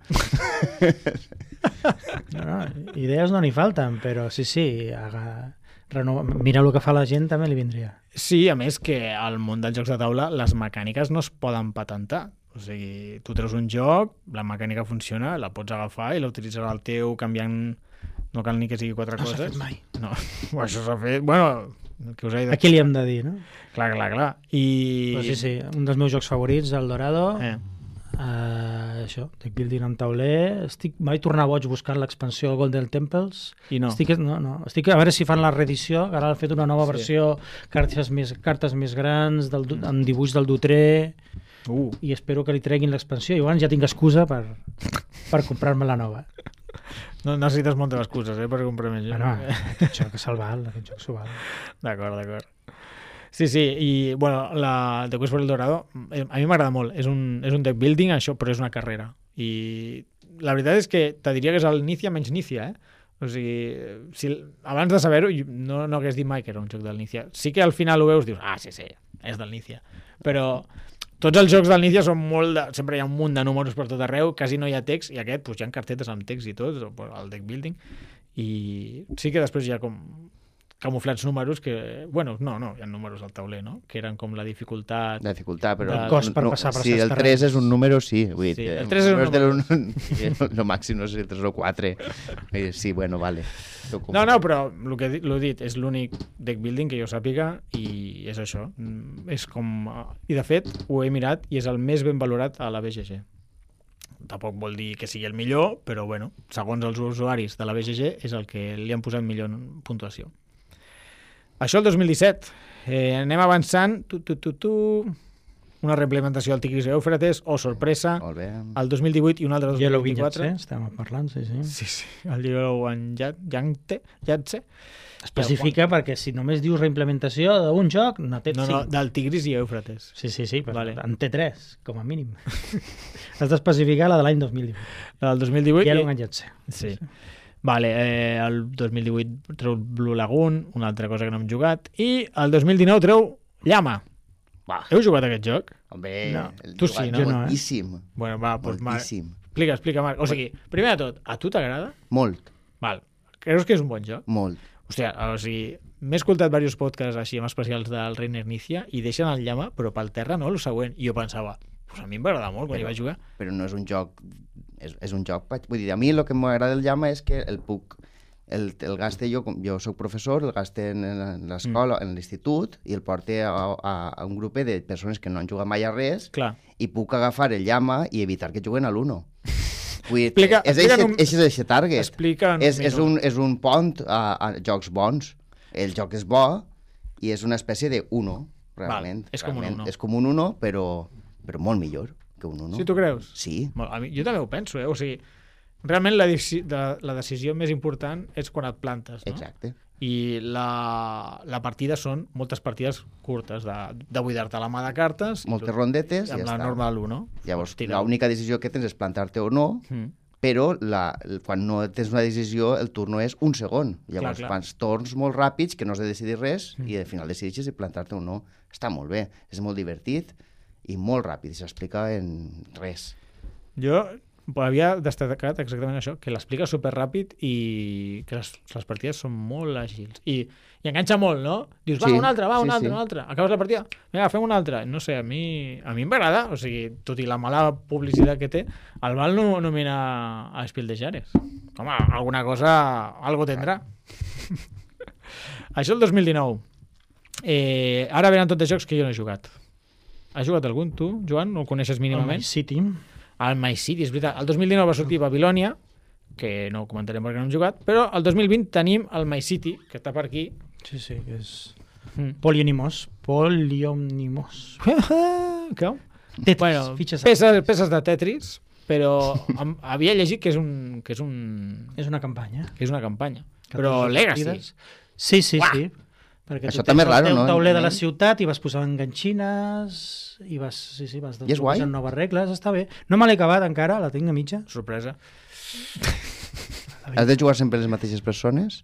No, no, idees no n'hi falten, però sí, sí, aga... Reno... mira el que fa la gent també li vindria. Sí, a més que al món dels jocs de taula les mecàniques no es poden patentar. O sigui, tu treus un joc, la mecànica funciona, la pots agafar i la utilitzaràs al teu canviant... No cal ni que sigui quatre No s'ha coses. fet mai. No, això s'ha fet... Bueno, que us he dit... Aquí li hem de dir, no? Clar, clar, clar. I... Però sí, sí, un dels meus jocs favorits, el Dorado, Eh. uh, això, deck building en tauler, estic, vaig tornar boig buscant l'expansió del Golden Temples, I no. estic, no, no, estic a veure si fan la reedició, que ara han fet una nova Sí. versió, cartes més, cartes més grans, del, du- amb dibuix del Dutré, Uh, i espero que li treguin l'expansió, i llavors ja tinc excusa per, per comprar-me la nova. no necessites moltes excuses, eh, per comprar més joc. Bueno, aquest joc se'l val, aquest joc s'ho val. D'acord, d'acord. Sí, sí, i bueno, la The Quest for El Dorado eh, a mi m'agrada molt, és un, és un deck building això, però és una carrera i la veritat és que te diria que és el Nícia menys Nícia, eh? O sigui, si, abans de saber-ho no, no hagués dit mai que era un joc del Nícia. Sí que al final ho veus, dius, ah, sí, sí, és del Nícia, però tots els jocs del Nícia són molt de... sempre hi ha un munt de números per tot arreu, quasi no hi ha text, i aquest, doncs, hi ha cartetes amb text i tot, el deck building, i sí que després hi ha com camuflats números que... Bueno, no, no, hi ha números al tauler, no? Que eren com la dificultat... De dificultat, però... El cost per passar per sí, certs el terrenys. tres és un número, sí. Vull dir, Sí, eh, el tres és un números de l'un- el màxim, no sé, el tres o quatre. Eh, Sí, bueno, vale. No, no, però el que l'he dit és l'únic deck building que jo sàpiga i és això. Mm, És com... I de fet, ho he mirat i és el més ben valorat a la B G G. Tampoc vol dir que sigui el millor, però bueno, segons els usuaris de la B G G és el que li han posat millor puntuació. Això el dos mil disset. Eh, anem avançant. Tu, tu, tu, tu. Una reimplementació del Tigris i Eufrates, o sorpresa, Molt bé. el dos mil divuit i un altre dos mil Yellow vint-i-quatre. Vinyatse, estem parlant, sí, sí. Sí, sí, el Yellow and Yangte, Yatse. Especifica perquè si només dius reimplementació d'un joc, no té No, no, cinc. del Tigris i Eufrates. Sí, sí, sí, però Vale. vale. en té tres, com a mínim. Has d'especificar la de l'any dos mil divuit. El dos mil divuit... Yellow i- Vinyatse. Sí. Vale, eh, el dos mil divuit treu Blue Lagoon, una altra cosa que no hem jugat, i el dos mil dinou treu Llama. Va, Heu jugat a aquest joc? home, No. el Tu jugat sí, no? Jo no, eh? moltíssim, Bueno, va, doncs, Marc, moltíssim. explica, explica, Marc. O sigui, primer de tot, a tu t'agrada? Molt, Val. Creus que és un bon joc? molt. Hòstia, o sigui, m'he escoltat diversos podcasts així amb especials del Reiner Nícia i deixen el Llama, però pel terra no, el següent. I jo pensava, pues a mi em va agradar molt quan hi Però- vaig jugar. Però no és un joc... És, és un joc... vaig- Vull dir, a mi el que m'agrada del llama és que el puc... El, el gaste jo, com- jo sóc professor, el gaste en, en l'escola, mm. en l'institut, i el porte a, a, a un grup de persones que no han jugat mai a res, Clar. i puc agafar el llama i evitar que juguen a l'uno. Vull dir, Explica- és explica eixe, en un- eixe és eixe target. Explica en un és, és, minut. un, és un pont a, a jocs bons. El joc és bo i és una espècie de uno, realment. és com un realment. Uno. És com un uno, però, però molt millor que un uno. Sí, tu creus? Sí. Molt, a mi, jo també ho penso, eh? O sigui, realment la, deci- de, la decisió més important és quan et plantes, no? Exacte. I la, la partida són moltes partides curtes, de, de buidar-te la mà de cartes. i Moltes tu- rondetes i amb ja la està. norma de l'u, no? Llavors, Pots tirar. l'única decisió que tens és plantar-te o no, Mm. però la, el- quan no tens una decisió, el turno és un segon. Llavors, clar. fas torns molt ràpids que no has de decidir res Mm. i al final decideixes si plantar-te o no. Està molt bé, és molt divertit i molt ràpid, i s'explica en res. Jo havia destacat exactament això, que l'explica superràpid i que les, les partides són molt àgils. I, i enganxa molt, no? Dius, va, Sí, una altra, va, una sí, altra, sí. una altra. Acabes la partida, vinga, fem una altra. No sé, a mi, a mi em va agradar. O sigui, tot i la mala publicitat que té, el Val no nomina a Spiel de Jares. Home, alguna cosa, algo tendrà. Això el dos mil dinou. Eh, ara venen tots els jocs que jo no he jugat. Has jugat algun, tu, Joan? No el coneixes El mínimament? My City. El My City, és veritat. El dos mil dinou va sortir Babilònia, que no ho comentarem perquè no hem jugat, però el dos mil vint tenim el My City, que està per aquí. Sí, sí, que és... Mm. Poliomnimos. Poliomnimos. Què? Tetris, Bueno, fitxes de- peces, peces de Tetris, però em, havia llegit que és un que és un És una campanya. que és una campanya. Però catorze Legacy. partides. Sí, sí, Uah! sí. Perquè Això tu també tens és raro, el teu no? tauler de la Eh? ciutat i vas posant enganxines i vas, sí, sí, vas I és guai? posant noves regles, està bé. No me l'he acabat encara, la tinc a mitja. Sorpresa. Has de jugar sempre les mateixes persones?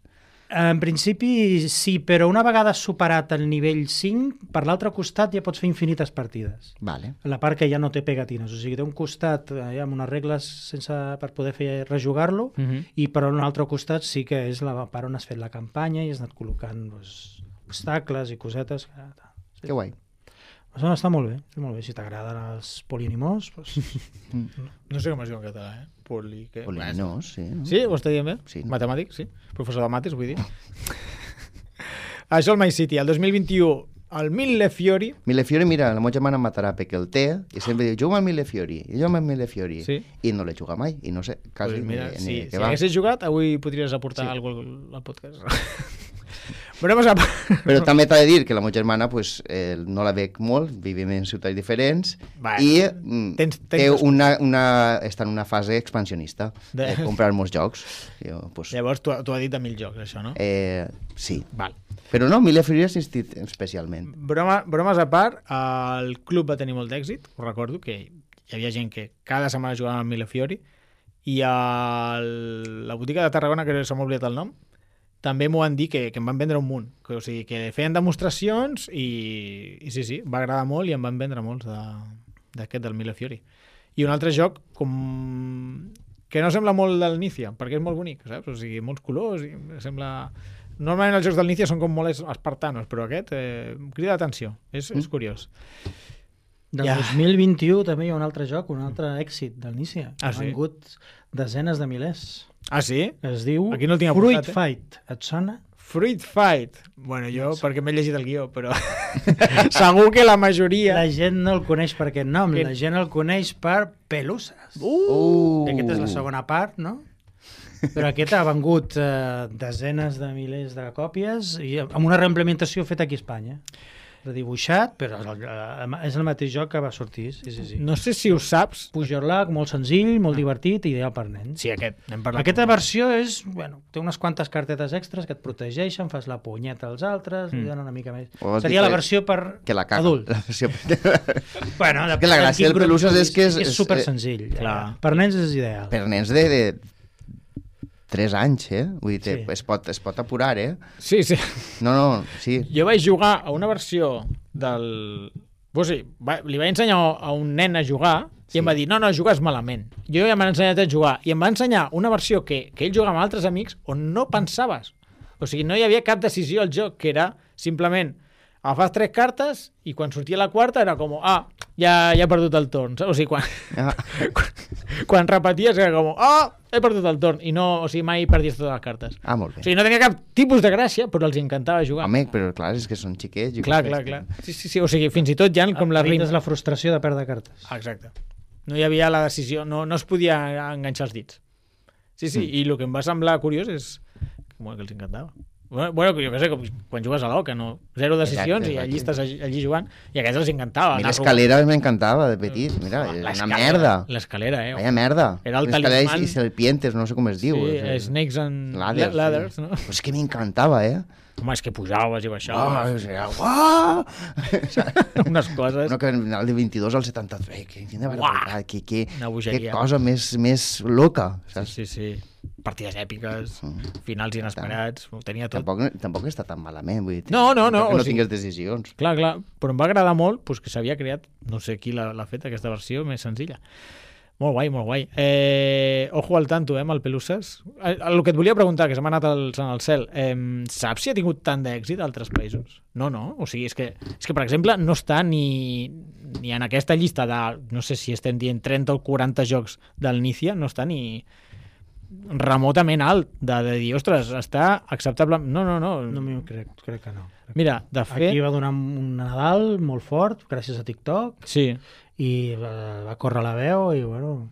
En principi sí, però una vegada superat el nivell cinc, per l'altre costat ja pots fer infinites partides. Vale. La part que ja no té pegatines, o sigui, té un costat eh, amb unes regles sense, per poder fer rejugar-lo, Mm -hmm. i per un altre costat sí que és la part on has fet la campanya i has anat col·locant doncs, obstacles i cosetes. Sí. Que guai. Això està molt bé, està molt bé. Si t'agraden els polinimos, doncs... No sé com es diu en català, eh? Poli... Què? Polinos, sí. No? Sí? Ho està dient bé? Sí. Matemàtic, sí. Professor de mates, vull dir. Això el My City. El dos mil vint-i-u, el Millefiori. Millefiori, mira, la meva germana em matarà perquè el té i sempre diu, juga al Millefiori, i jo amb el Millefiori. Sí. I no l'he jugat mai, i no sé, quasi Pues mira, ni, si, ni si què va. haguessis jugat, avui podries aportar Sí. sí. alguna cosa al podcast. Bromes a part. Però també t'ha de dir que la meva germana pues, eh, no la veig molt, vivim en ciutats diferents, Va, i mm, tens- tens té dos- una, una, està en una fase expansionista De- de, de comprar molts jocs. Jo, pues, Llavors, tu, tu has dit de mil jocs, això, no? eh, sí. Val. Però no, Millefiori ha assistit especialment. Broma, bromes a part, el club va tenir molt d'èxit, ho recordo, que hi havia gent que cada setmana jugava al Millefiori, i a la botiga de Tarragona, que se m'ha oblidat el nom, també m'ho van dir que, que em van vendre un munt. Que, o sigui, que feien demostracions i, i sí, sí, va agradar molt i em van vendre molts de- d'aquest, del Millefiori. I un altre joc com... que no sembla molt del Nícia, perquè és molt bonic, saps? O sigui, molts colors, i sembla... Normalment els jocs del Nícia són com molt es- espartanos, però aquest eh, crida l'atenció, és, és curiós. Del Ja. dos mil vint-i-u també hi ha un altre joc, un altre èxit del Nícia. Ah, Ha sí? vengut desenes de milers. Ah, sí? Es diu Aquí no el tinc Fruit apuntat, eh? Fight. Et sona? Fruit Fight. Bueno, jo, perquè m'he llegit el guió, però segur que la majoria... La gent no el coneix per aquest nom, Que- la gent el coneix per Peluses. Uh! Uh! I aquesta és la segona part, no? Però aquest ha vengut eh, desenes de milers de còpies i amb una reimplementació feta aquí a Espanya. Redibuixat, però és el, és el mateix joc que va sortir. Sí, sí, sí. No sé si ho saps. Pujarlac, molt senzill, molt divertit i ideal per nens. Sí, aquest. N'hem parlat. Aquesta versió és, bueno, té unes quantes cartetes extras que et protegeixen, fas la punyeta als altres, mm. li donen una mica més. Vols Seria dir la que- versió per Que la caga. adult. La versió... Bueno, que la gràcia del Peluses és que és- és és- super senzill. clar. Per nens és ideal. per nens de, de tres anys, eh? Vull dir, Sí. es, pot, es pot apurar, eh? Sí, sí. No, no, sí. Jo vaig jugar a una versió del... O sigui, va, li vaig ensenyar a un nen a jugar i Sí. em va dir, no, no, jugues malament. Jo ja m'han ensenyat a jugar i em va ensenyar una versió que, que ell jugava amb altres amics on no pensaves. O sigui, no hi havia cap decisió al joc, que era simplement agafes tres cartes i quan sortia la quarta era com, ah, ja, ja he perdut el torn. Saps? O sigui, quan, Ah, quan, quan repeties era com, ah, he perdut el torn. I no, o sigui, mai perdies totes les cartes. ah molt O bé. sigui, no tenia cap tipus de gràcia, però els encantava jugar. Home, però clar, és que són xiquets. jo Clar, crec clar, que- clar. Sí, sí, sí, o sigui, fins i tot ja com la Evites rim... la frustració de perdre cartes. Ah, exacte. No hi havia la decisió, no, no es podia enganxar els dits. Sí, sí, Mm. i el que em va semblar curiós és que, bueno, que els encantava. Bueno, bueno, jo què sé, com quan jugues a l'Oca, no? Zero decisions Exacte, i allí exacte. estàs allí, allí jugant i a aquests els encantava. A mi anar l'escalera m'encantava de petit. Mira, robant. és una L'escalera, merda. L'escalera, eh? Vaya merda. Era el L'escalera talismàn. i serpientes, no sé com es diu. Sí, És- Snakes and Ladders, Ladders, sí. no? Però és que m'encantava, eh? Home, és que pujaves i Oh, baixaves. era, uah! Unes coses... Uno que anava de vint-i-dos al setanta-tres. Que, quina barbaritat, que, que, Una que bogeria. cosa més, més loca. Saps? Sí, sí, sí. Partides èpiques, Mm. finals inesperats, ho tenia tot. Tampoc, tampoc està tan malament. Vull dir, No, no, no, Que o no sigui- tingues decisions. Clar, clar, però em va agradar molt pues, que s'havia creat, no sé qui l'ha l'ha fet, aquesta versió més senzilla. Molt guai, molt guai. Eh, ojo al tanto, eh, amb el Peluses. Eh, el que et volia preguntar, que se m'ha anat al, al cel, eh, saps si ha tingut tant d'èxit a altres països? No, no, o sigui, és que, és que per exemple, no està ni, ni en aquesta llista de, no sé si estem dient trenta o quaranta jocs del Nícia, no està ni remotament alt de, de dir, ostres, està acceptable... No, no, no. No m'ho crec, crec que no. Mira, de fet... Aquí va donar un Nadal molt fort, gràcies a TikTok, Sí, i va, va córrer la veu i, bueno,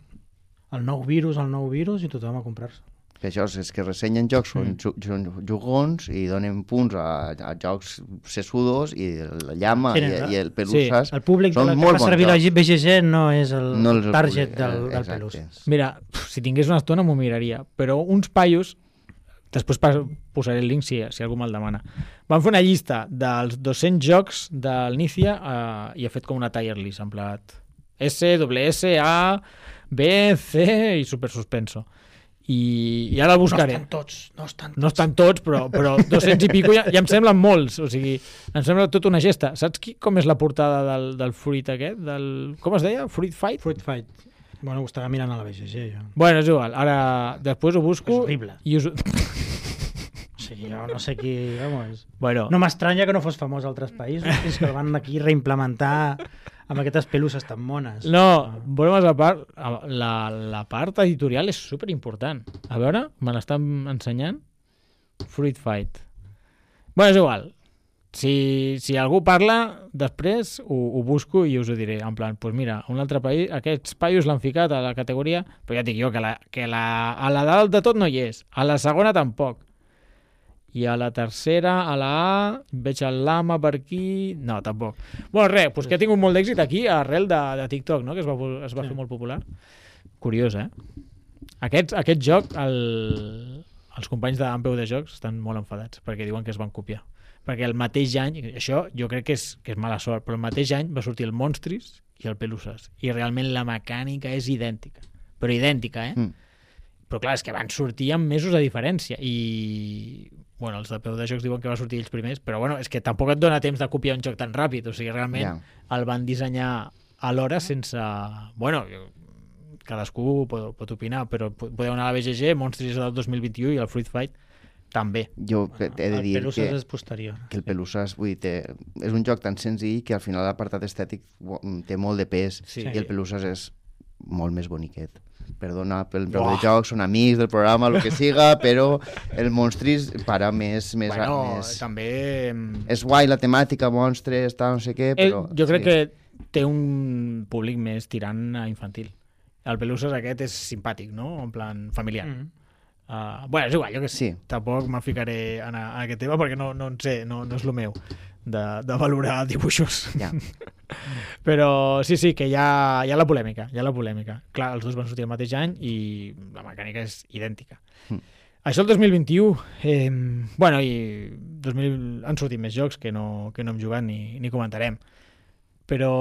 el nou virus, el nou virus, i tothom a comprar-se. Que això és que ressenyen jocs, són, Mm. ju- són jugons i donen punts a, a jocs sesudos i la llama Sí, i, no? i el Peluses. El públic de són la que molt fa bons servir la jocs. B G G no és el No és el target públic, del, eh, del exacte. Peluses. mira, pf, si tingués una estona m'ho miraria, però uns paios, després pas- posaré el link si, si algú me'l demana, van fer una llista dels dos-cents jocs del Nícia eh, i ha fet com una tier list, en plat S, W S, A, B, C i super suspenso. I, i ara el buscaré. No estan tots, no estan tots. No estan tots, però, però dos-cents i pico ja, ja em semblen molts. O sigui, em sembla tota una gesta. Saps qui, com és la portada del, del fruit aquest? Del, com es deia? Fruit Fight? Fruit Fight. Bueno, ho estava mirant a la B G G, jo. Bueno, és igual. Ara, després ho busco. És horrible. I us... Sí, jo no sé qui... Vamos. bueno, No m'estranya que no fos famós a altres països, fins que el van aquí reimplementar amb aquestes peluses tan mones. no, bromes a part, la, la part editorial és super important. A veure, me l'estan ensenyant. Fruit Fight. Bueno, és igual. Si, si algú parla, després ho, ho busco i us ho diré. En plan, doncs mira, un altre país, aquests paios l'han ficat a la categoria, però ja et dic jo que, la, que la, a la dalt de tot no hi és. A la segona tampoc. I a la tercera, a la A, veig el Lama per aquí... No, tampoc. Bueno, res, doncs que ha tingut molt d'èxit aquí arrel de, de TikTok, no? Que es va, es va Sí. fer molt popular. Curiós, eh? Aquest, aquest joc, el, els companys d'Ampeu de Jocs estan molt enfadats perquè diuen que es van copiar. Perquè el mateix any, això jo crec que és, que és mala sort, però el mateix any va sortir el Monstris i el Peluses. I realment la mecànica és idèntica. Però idèntica, eh? Mm. Però clar, és que van sortir amb mesos de diferència i... Bueno, els de Peu de Jocs diuen que va sortir ells primers, però bueno, és que tampoc et dona temps de copiar un joc tan ràpid, o sigui, realment Ja. el van dissenyar alhora sense... Bueno, cadascú pot, pot opinar, però podeu anar a la B G G, Monstris és del dos mil vint-i-u i el Fruit Fight també. Jo he de el dir Peluses que, és posterior. que el Peluses vull dir, té, és un joc tan senzill que al final l'apartat estètic bo- té molt de pes Sí. i el Peluses és molt més boniquet. Perdona pel preu Uah. de jocs, són amics del programa, el que siga, però el Monstris para més... més, Bueno, més... també... És guai la temàtica, monstres, tal, no sé què, Eh, però... jo crec sí. que té un públic més tirant a infantil. El Peluses aquest és simpàtic, no? En plan familiar. Mm. Uh, bueno, és igual, jo que sé. Sí. Tampoc me'n ficaré en, a, en aquest tema perquè no, no en sé, no, no és el meu de, de valorar dibuixos. Ja. Però sí, sí, que hi ha, hi ha la polèmica, hi ha la polèmica. Clar, els dos van sortir el mateix any i la mecànica és idèntica. Mm. Això el dos mil vint-i-u, eh, bueno, i dos mil han sortit més jocs que no, que no hem jugat ni, ni comentarem. Però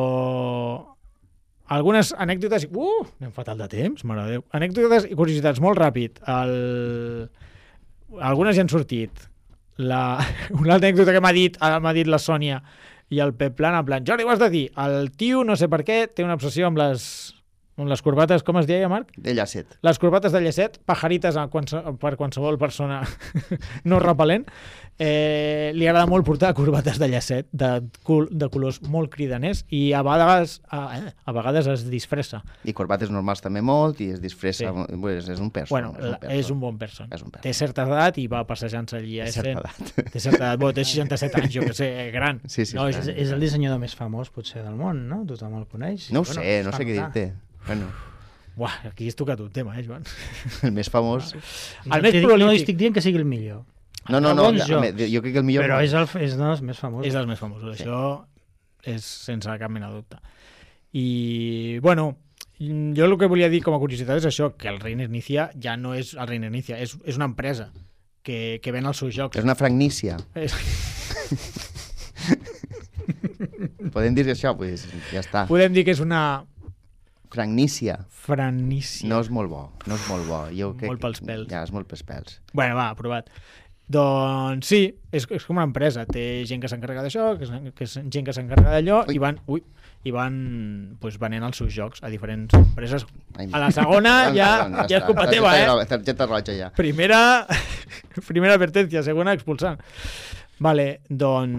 algunes anècdotes... Uh, anem fatal de temps, mare de Déu. Anècdotes i curiositats, molt ràpid. El... Algunes ja han sortit. La... Una anècdota que m'ha dit, m'ha dit la Sònia i el Pep Plan, en plan, Jordi, ho has de dir, el tio, no sé per què, té una obsessió amb les, amb les corbates, com es deia, Marc? De llacet. Les corbates de llacet, pajarites a qualse, per qualsevol persona no repel·lent. Eh, li agrada molt portar corbates de llacet, de, col de colors molt cridaners, i a vegades, a, eh, a vegades es disfressa. I corbates normals també molt, i es disfressa... Sí. Pues és un perso. Bueno, és, un perso. és un bon person. És un perso. Té certa edat i va passejant-se allí a Té certa Essen. edat. Té certa edat. Bueno, té seixanta-set anys, jo que sé, gran. Sí, sí, no, sí. És, és el dissenyador més famós, potser, del món, no? Tothom el coneix. No ho Bueno, sé, es no fa sé què notar. dir-te. Bueno, Buah, aquí has tocat un tema, eh, Joan? el més famós... No, El més t'he dit- prolífic. no estic dient que sigui el millor. No, no, Hi ha no, bons ja, jocs, jo crec que el millor... Però és, el, és dels més famosos. És dels més famosos, Sí. això és sense cap mena de dubte. I, bueno, jo el que volia dir com a curiositat és això, que el Reiner Inicia ja no és el Reiner Inicia, és, és una empresa que, que ven els seus jocs. És una fragnícia. És... Podem dir això? Pues ja està. Podem dir que és una Fragnícia. franícia. No és molt bo, no és molt bo. Jo crec... Molt pels pèls. Ja, és molt pels pèls. Bueno, va, aprovat. Doncs sí, és, és com una empresa. Té gent que s'encarrega d'això, que, és- que és gent que s'encarrega d'allò, Ui. i van, ui, i van pues, venent els seus jocs a diferents empreses. Ai, A la segona ja, ja és culpa està. teva, eh? Targeta- Targeta roja ja. Primera, primera advertència, segona expulsant. Vale, don,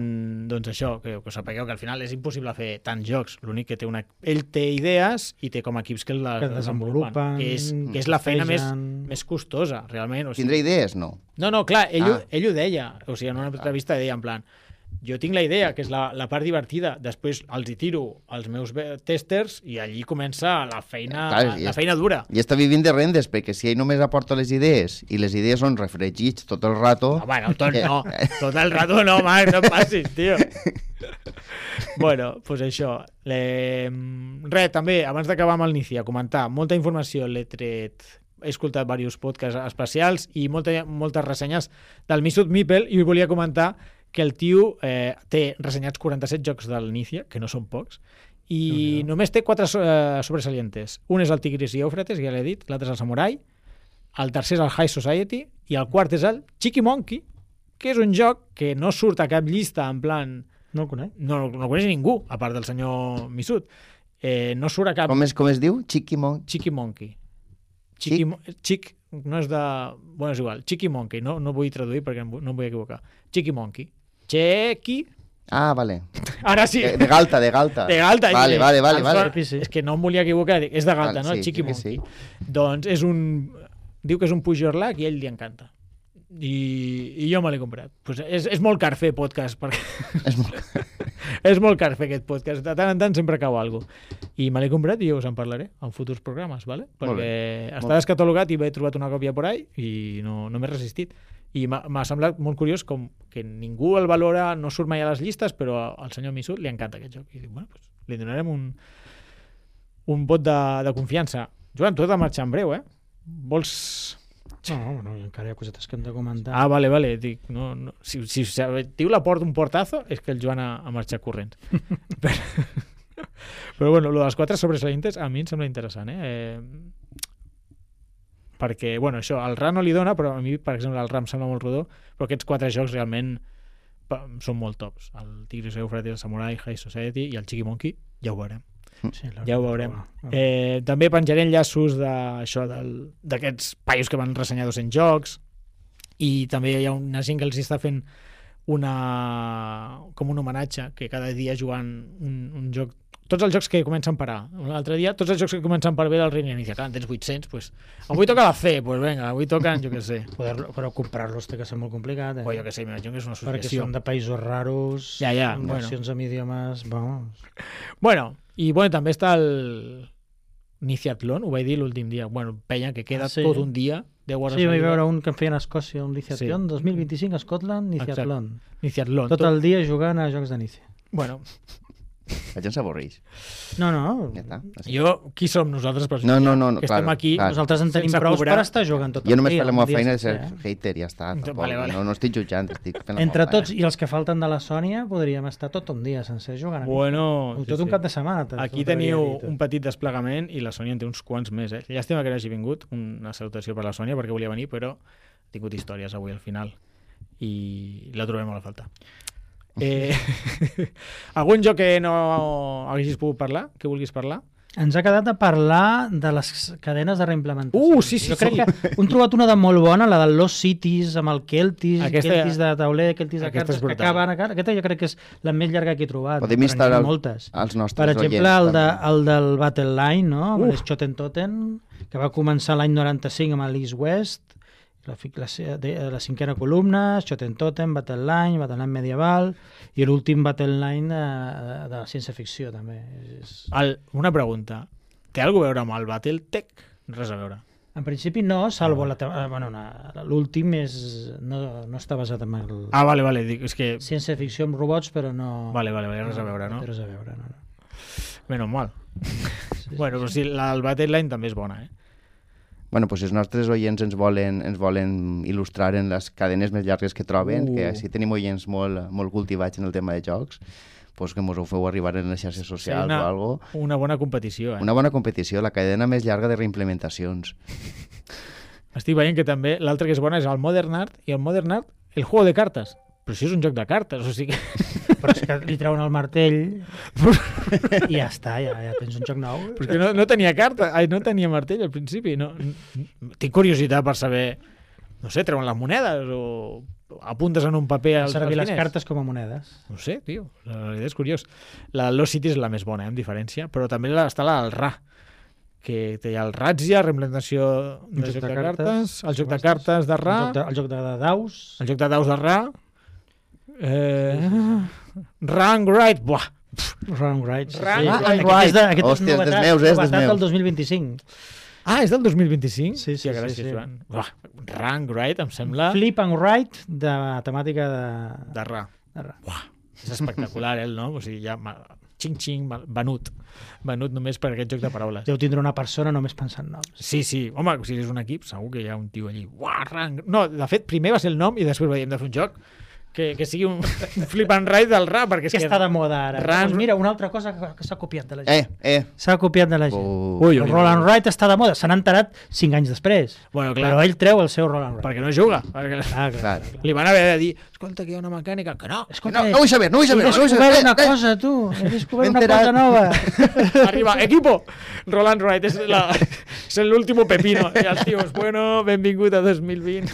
doncs això, que, que sapigueu que al final és impossible fer tants jocs. L'únic que té una... Ell té idees i té com a equips que, la, Que desenvolupen, que és, que és la feina més, fegen. més costosa, realment. O sigui, Tindré idees? No. no, no, clar, ell, Ah. ah. ell ho deia. O sigui, en una entrevista deia en plan, jo tinc la idea, que és la, la part divertida, després els hi tiro als meus ve- testers i allí comença la feina, Clar, la, i la és- feina dura. I està vivint de rendes, perquè si ell només aporta les idees i les idees són refregits tot el rato... No, bueno, tot no, tot el rato no, Marc, no et passis, tio. Bueno, doncs pues això. Le... Res, també, abans d'acabar amb el Nícia, comentar, molta informació l'he tret, he escoltat diversos podcasts especials i molta, moltes ressenyes del Misut Mipel, i volia comentar que el tio eh, té ressenyats quaranta-set jocs del Nícia, que no són pocs, i Déu-n'hi-do. només té quatre so eh, sobresalientes. Un és el Tigris i Eufrates, ja l'he dit, l'altre és el Samurai, el tercer és el High Society i el quart és el Cheeky Monkey, que és un joc que no surt a cap llista en plan... No el conec. No, no el coneix ningú, a part del senyor Misut. Eh, no surt a cap... Com es, com es diu? Chiquimon? Cheeky Monkey. Cheeky, Mo- Chick no és de... Bueno, és igual. Cheeky Monkey, no, no vull traduir perquè em vu- no em vull equivocar. Cheeky Monkey. Cheeky... Ah, vale. Ara sí. De, de Galta, de Galta. De Galta. Vale, sí. vale, vale, Em vale. sona- Sí, sí. És que no em volia equivocar. dic, És de Galta, Vale, no? sí, El Cheeky crec que Monkey. Doncs és un... Diu que és un puix your luck i a ell li encanta. I, i jo me l'he comprat. Pues és, és molt car fer podcast, perquè És molt... és molt car fer aquest podcast. De tant en tant sempre cau alguna cosa. I me l'he comprat i jo us en parlaré en futurs programes, ¿vale? Molt Perquè bé. està Molt- descatalogat i he trobat una còpia por ahí i no, no m'he resistit. I m'ha m'ha semblat molt curiós com que ningú el valora, no surt mai a les llistes, però al senyor Misut li encanta aquest joc. I dic, bueno, pues, li donarem un, un vot de, de confiança. Joan, tu has de marxar en breu, eh? Vols... No, bueno, encara hi ha cosetes que hem de comentar. Ah, vale, vale. Dic, no, no. Si, si diu la porta un portazo, és que el Joan ha, ha marxat corrents. però, però bueno, lo de les quatre sobresalientes a mi em sembla interessant, eh? eh perquè, bueno, això, el R A no li dona, però a mi, per exemple, el R A em sembla molt rodó, però aquests quatre jocs realment pa, són molt tops. El Tigris Eufrates, el Samurai, High Society i el Cheeky Monkey, ja ho veurem. Sí, Ja ho veurem. Eh... Eh, també penjaré enllaços d'això, d'aquests paios que van ressenyar dos-cents jocs, i també hi ha una gent que els està fent una, com un homenatge, que cada dia jugant un, un joc, tots els jocs que comencen per A. L'altre dia, tots els jocs que comencen per B del Reina Inicia. Clar, en tens vuit-cents, pues, avui toca la C, pues venga, avui toquen, jo què sé. Poder, però comprar-los té que ser molt complicat, eh? O jo què sé, m'imagino que és una Perquè associació. són de països raros, Ja, ja, amb bueno. versions en idiomes... Vamos. Bueno, i bueno, també està el, Niciatlon, ho vaig dir l'últim dia. Bueno, penya que queda Ah, sí? tot un dia, deu hores Sí, al vaig dia. veure un que en feien a Escòcia, un Niciatlon, Sí. dos mil vint-i-cinc a Scotland, Niciatlon. Niciatlon. Tot el dia jugant a jocs de Nícia. Bueno, La gent s'avorreix. No, no, Ja està. Així. jo, qui som nosaltres? Per No, no, no, no, que clar, estem aquí. clar. nosaltres en tenim sense prou cobrar. per estar jugant tot Jo el només dia. faig la meva un dia feina de sencer, ser eh? hater, ja està. Tampoc, Vale, vale. No, no estic jutjant, estic fent la Entre meva feina. tots i els que falten de la Sònia podríem estar tot un dia sencer jugant a Nícia. Bueno, O sí, tot un sí. cap de setmana. te- Aquí t'ho teniu podria dir, un petit desplegament i la Sònia en té uns quants més. Eh? Llàstima que no hagi vingut, una salutació per la Sònia perquè volia venir, però ha tingut històries avui al final i la trobem molt a faltar. Eh, algun joc que no haguessis pogut parlar, que vulguis parlar? Ens ha quedat a parlar de les cadenes de reimplementació. Uh, sí, sí, Jo crec sí. que hem trobat una de molt bona, la del Lost Cities, amb el Keltis, Aquesta- Keltis de tauler, Keltis de aquesta és cartes, que brutal. acaben... a- Aquesta jo crec que és la més llarga que he trobat. Podem però instar n'hi ha al- moltes. als nostres Per exemple, oients, el, de, també. el del Battle Line, no? Amb Uf. l'Schoten Totten, que va començar l'any noranta-cinc amb l'East West, la, fi- la, se- de, la cinquena columna, Schoten Totten, Battle Line, Battle Line medieval, i l'últim Battle Line de, de la ciència-ficció, també. És... El, una pregunta. Té alguna a veure amb el Battletech? Res a veure. En principi no, salvo la, te- eh, bueno, una- l'últim és, no, no està basat en el... Ah, vale, vale. Dic, és que... ciència-ficció amb robots, però no... Vale, vale, vale, res a veure, no? té Res a veure, no, no. Menos mal. Sí, Bueno, però sí, la del Battleline també és bona, eh? Bueno, pues si els nostres oients ens volen, ens volen il·lustrar en les cadenes més llargues que troben, Uh. que així tenim oients molt, molt cultivats en el tema de jocs, pues que mos ho feu arribar en les xarxes socials una, o algo. una bona competició, eh? Una bona competició, la cadena més llarga de reimplementacions. Estic veient que també l'altre que és bona és el Modern Art, i el Modern Art, el juego de cartes. Però si és un joc de cartes, o sigui... Però és que li treuen el martell i ja està, ja, ja tens un joc nou. Però és que no, no tenia carta, ai, no tenia martell al principi. No, no, tinc curiositat per saber, no sé, treuen les monedes o apuntes en un paper als, Servir als les diners. cartes com a monedes. No sé, tio, la veritat és curiós. La de Lost City és la més bona, eh, en diferència, però també la, està la del Ra, que té el Razzia, reimplementació Un de joc de cartes, el joc de cartes de Ra, El joc de, el joc de daus. el joc de daus de Ra, eh, Rank Right, buah, Wrong Right. Sí, Wrong sí. Right. Aquest és, de, aquest Hòstia, és és dels novetat, meus, és dels novetat meus. del dos mil vint-i-cinc. ah, és del dos mil vint-i-cinc? Sí, sí, Hòstia, sí, gràcies, sí. Joan. Buah, Rank Right, em sembla, Flip and Write de temàtica de... de Ra. de ra. És espectacular, eh, el nom? O sigui, ja... Xing-xing, venut. Venut només per aquest joc de paraules. Deu tindre una persona només pensant en noms. Sí, sí. Home, si és un equip, segur que hi ha un tio allí. Uah, rank. No, de fet, primer va ser el nom i després veiem de fer un joc que, que sigui un, un flip and ride del rap, perquè és Que que... està de moda ara. Ran- Doncs mira, una altra cosa que, que s'ha copiat de la gent. Eh, eh. S'ha copiat de la gent. Uh, Ui, El ui, roll and ui. write està de moda. Se n'ha enterat cinc anys després. Bueno, clar, Però ell treu el seu roll and write. perquè no juga. Perquè... Ah, clar. Clar. Li van haver de dir, escolta, que hi ha una mecànica, que no. Escolta, No, no vull saber, no vull he saber. No vull descobert saber. una Eh, eh. cosa, tu. He descobert M'he una cosa enterat. nova. Arriba, equipo, Roland Wright, és, la, és l'último pepino. I els tios, bueno, benvingut a dos mil vint.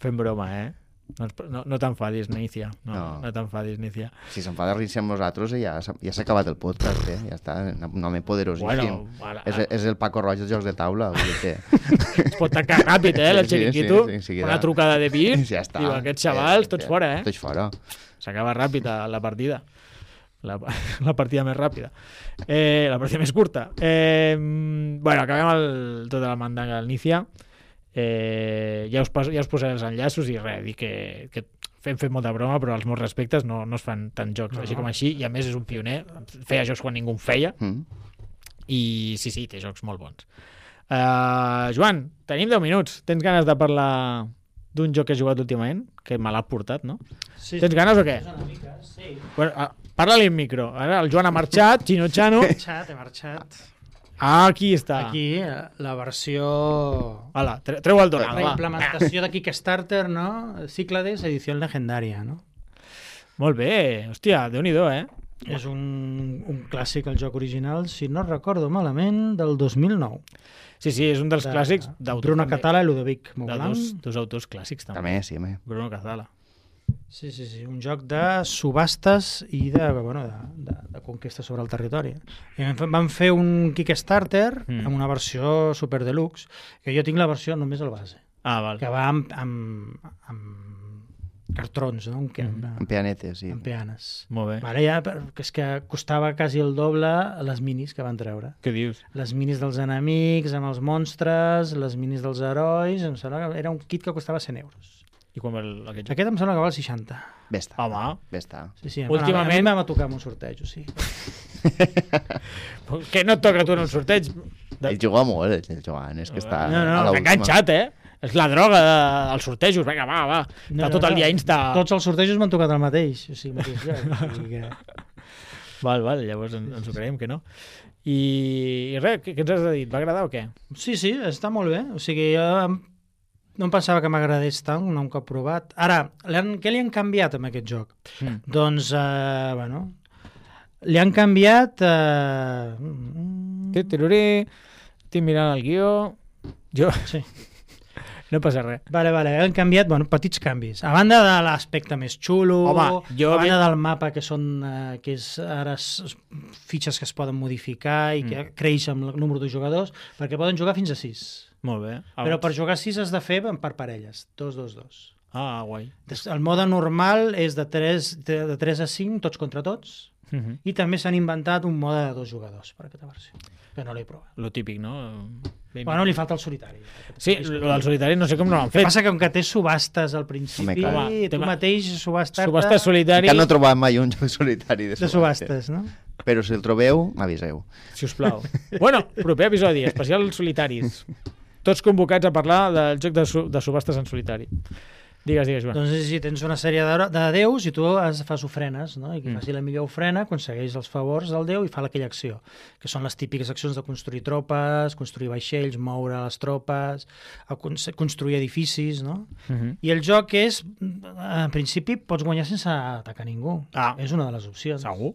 Fem broma, eh? No, ens- no, no t'enfadis, Nícia. No, no. No. no t'enfadis, Nícia. Si s'enfada rir-se amb nosaltres, ja s'ha ja s'ha acabat el podcast, eh? Ja està, un home poderosíssim. Bueno, ara, és, és el Paco Roig dels jocs de taula, vull dir que... es pot tancar ràpid, eh, el Sí, sí, xiringuito. sí, sí, enseguida. Una trucada de vir. Ja està. Diu, aquests xavals, tots fora, eh? Tots fora. S'acaba ràpid a la partida. La, la partida més ràpida. Eh, la partida més curta. Eh, bueno, acabem el, tota la mandanga al Nícia. Eh, ja, us pas, ja us posaré els enllaços i res, dir que, que fem, fem molta broma, però els meus respectes no, no es fan tants jocs No, així no. com així, i a més és un pioner, feia jocs quan ningú en feia, Mm. i sí, sí, té jocs molt bons. Uh, Joan, tenim deu minuts. Tens ganes de parlar d'un joc que has jugat últimament? Que me l'ha portat, no? Sí, Tens ganes o què? Una mica, sí. Bueno, uh, parla-li en micro. Ara el Joan ha marxat, Chino Chano. He marxat, he marxat. Ah, aquí està. Aquí, eh, la versió... Hola, tre treu el donant, La va. implementació de Kickstarter, no? Cíclades, edició legendària, no? Molt bé. Hòstia, déu-n'hi-do, eh? És un, un clàssic, el joc original, si no recordo malament, del dos mil nou. Sí, sí, és un dels De clàssics d'autors. Bruno també. Catala i Ludovic De Montblanc. dos, dos autors clàssics, també. També, sí, home. Bruno Catala. Sí, sí, sí, un joc de subhastes i de, bueno, de, de, de conquesta sobre el territori. I van fer- van fer un Kickstarter Mm. amb una versió super deluxe, que jo tinc la versió només al base, Ah, val. que va amb, amb, amb cartrons, no? Un camp, En pianetes, sí. en peanes. Molt bé. Ara ja, per- que és que costava quasi el doble les minis que van treure. Què dius? Les minis dels enemics, amb els monstres, les minis dels herois, em sembla que era un kit que costava cent euros. I quan va el- aquest joc? Aquest em sembla que val seixanta. Bé està. Home, Bé està. Sí, sí, Últimament- Bueno, a mi m'ha tocat en un sorteig, o sigui. que no et toca a tu en un sorteig? De... Ell juga molt, el Joan, és que està No, no, a no, la t'ha enganxat, eh? És la droga de, als sortejos. Vinga, va, va. No, Està no, tot el no. dia insta... Tots els sortejos m'han tocat el mateix, o sigui, mateix lloc. O sigui que... Val, val, llavors ens, ens ho creiem que no. I, i res, què, què ens has de dir? Va agradar o què? Sí, sí, està molt bé. O sigui, jo em- no em pensava que m'agradés tant, un cop provat. Ara, li han, què li han canviat amb aquest joc? Mm. Doncs, eh, bueno, li han canviat... Eh... mm, Titiruri, estic mirant el guió... Jo... Sí. No passa res. Vale, vale, han canviat, bueno, petits canvis. A banda de l'aspecte més xulo, Home, jo a banda vi- del mapa, que són eh, que és ara s- fitxes que es poden modificar i que Mm. creix amb el número de jugadors, perquè poden jugar fins a sis. Molt bé. Però per jugar sis has de fer per parelles, dos, dos, dos. Ah, guai. Des- El mode normal és de tres, de, de tres a cinc, tots contra tots, Uh -huh. i també s'han inventat un mode de dos jugadors per aquesta versió, que no l'he provat. Lo típic, no? Ben... Bueno, li falta el solitari. Sí, lo del solitari no sé com no l'han El que fet. passa que com que té subhastes al principi, Home, clar. Home, tu tema- mateix subhastar-te Subhasta solitari, Que no he trobat mai un joc solitari de de subhastes, no? Però si el trobeu, m'aviseu. si us plau. Bueno, proper episodi, especial solitaris. Tots convocats a parlar del joc de, su de subhastes en solitari. Digues, digues, Joan. Doncs si tens una sèrie de, de déus i tu has, fas ofrenes, no? I qui Mm. faci la millor ofrena aconsegueix els favors del déu i fa aquella acció, que són les típiques accions de construir tropes, construir vaixells, moure les tropes, a cons- construir edificis, no? Uh -huh. I el joc és, en principi, pots guanyar sense atacar ningú. Ah. És una de les opcions. Segur.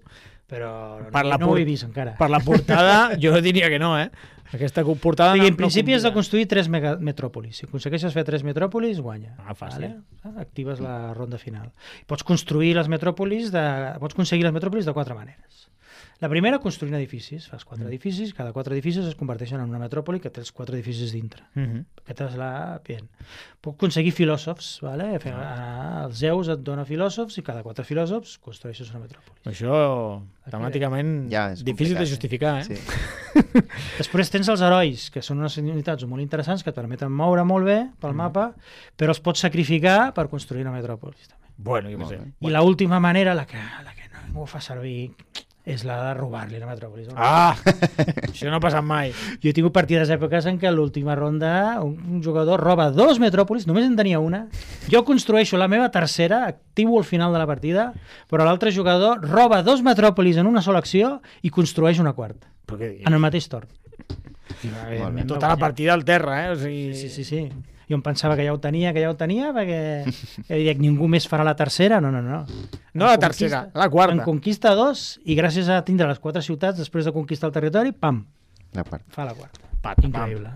Però no, Per la no ho por- he vist encara. Per la portada, jo diria que no, eh? Aquesta portada... O sigui, no- en no principi has de convida. construir tres mega metròpolis. Si aconsegueixes fer tres metròpolis, guanya. Ah, fàcil. Vale? Actives la ronda final. Pots construir les metròpolis de... Pots aconseguir les metròpolis de quatre maneres. La primera, construint edificis. Fas quatre Mm. edificis, cada quatre edificis es converteixen en una metròpoli que té els quatre edificis dintre. Uh -huh. Aquesta és la... Bien. Puc aconseguir filòsofs, vale? Fer, ah. Els Zeus et dona filòsofs i cada quatre filòsofs construeixes una metròpoli. Això, temàticament, Ja, és difícil de complicat, justificar, eh? Sí. Després tens els herois, que són unes unitats molt interessants que et permeten moure molt bé pel Mm. mapa, però els pots sacrificar per construir una metròpolis. També. Bueno, jo què Molt sé. bé. I l'última manera, la que, la que no ningú fa servir, és la de robar-li la metròpolis. Ah! Això no ha passat mai. Jo he tingut partides èpoques en què a l'última ronda un, un jugador roba dos metròpolis, només en tenia una, jo construeixo la meva tercera, activo al final de la partida, però l'altre jugador roba dos metròpolis en una sola acció i construeix una quarta, Però què dius? en el mateix torn. Molt bé. Tota la partida al terra, eh? O sigui... Sí, sí, sí. Jo em pensava que ja ho tenia, que ja ho tenia, perquè ja dic, ningú més farà la tercera. No, no, no. No En la tercera, la quarta. En conquista dos, i gràcies a tindre les quatre ciutats, després de conquistar el territori, pam, La part. fa la quarta. Pat, pam. Increïble.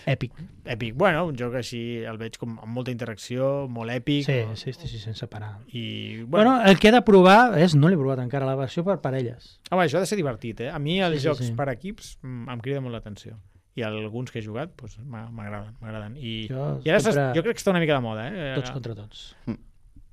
Èpic. Èpic. Bueno, un joc així el veig com amb molta interacció, molt èpic. Sí, sí, sí, sí, sense parar. I, bueno, Bueno, el que he de provar és, no l'he provat encara, la versió per parelles. home, això ha de ser divertit, eh? A mi els Sí, sí, jocs sí. per equips mm, em crida molt l'atenció. I alguns que he jugat doncs, m'ha- m'agraden, m'agraden. I, Jo i ara sempre- s'es- jo crec que està una mica de moda, eh? Tots contra tots.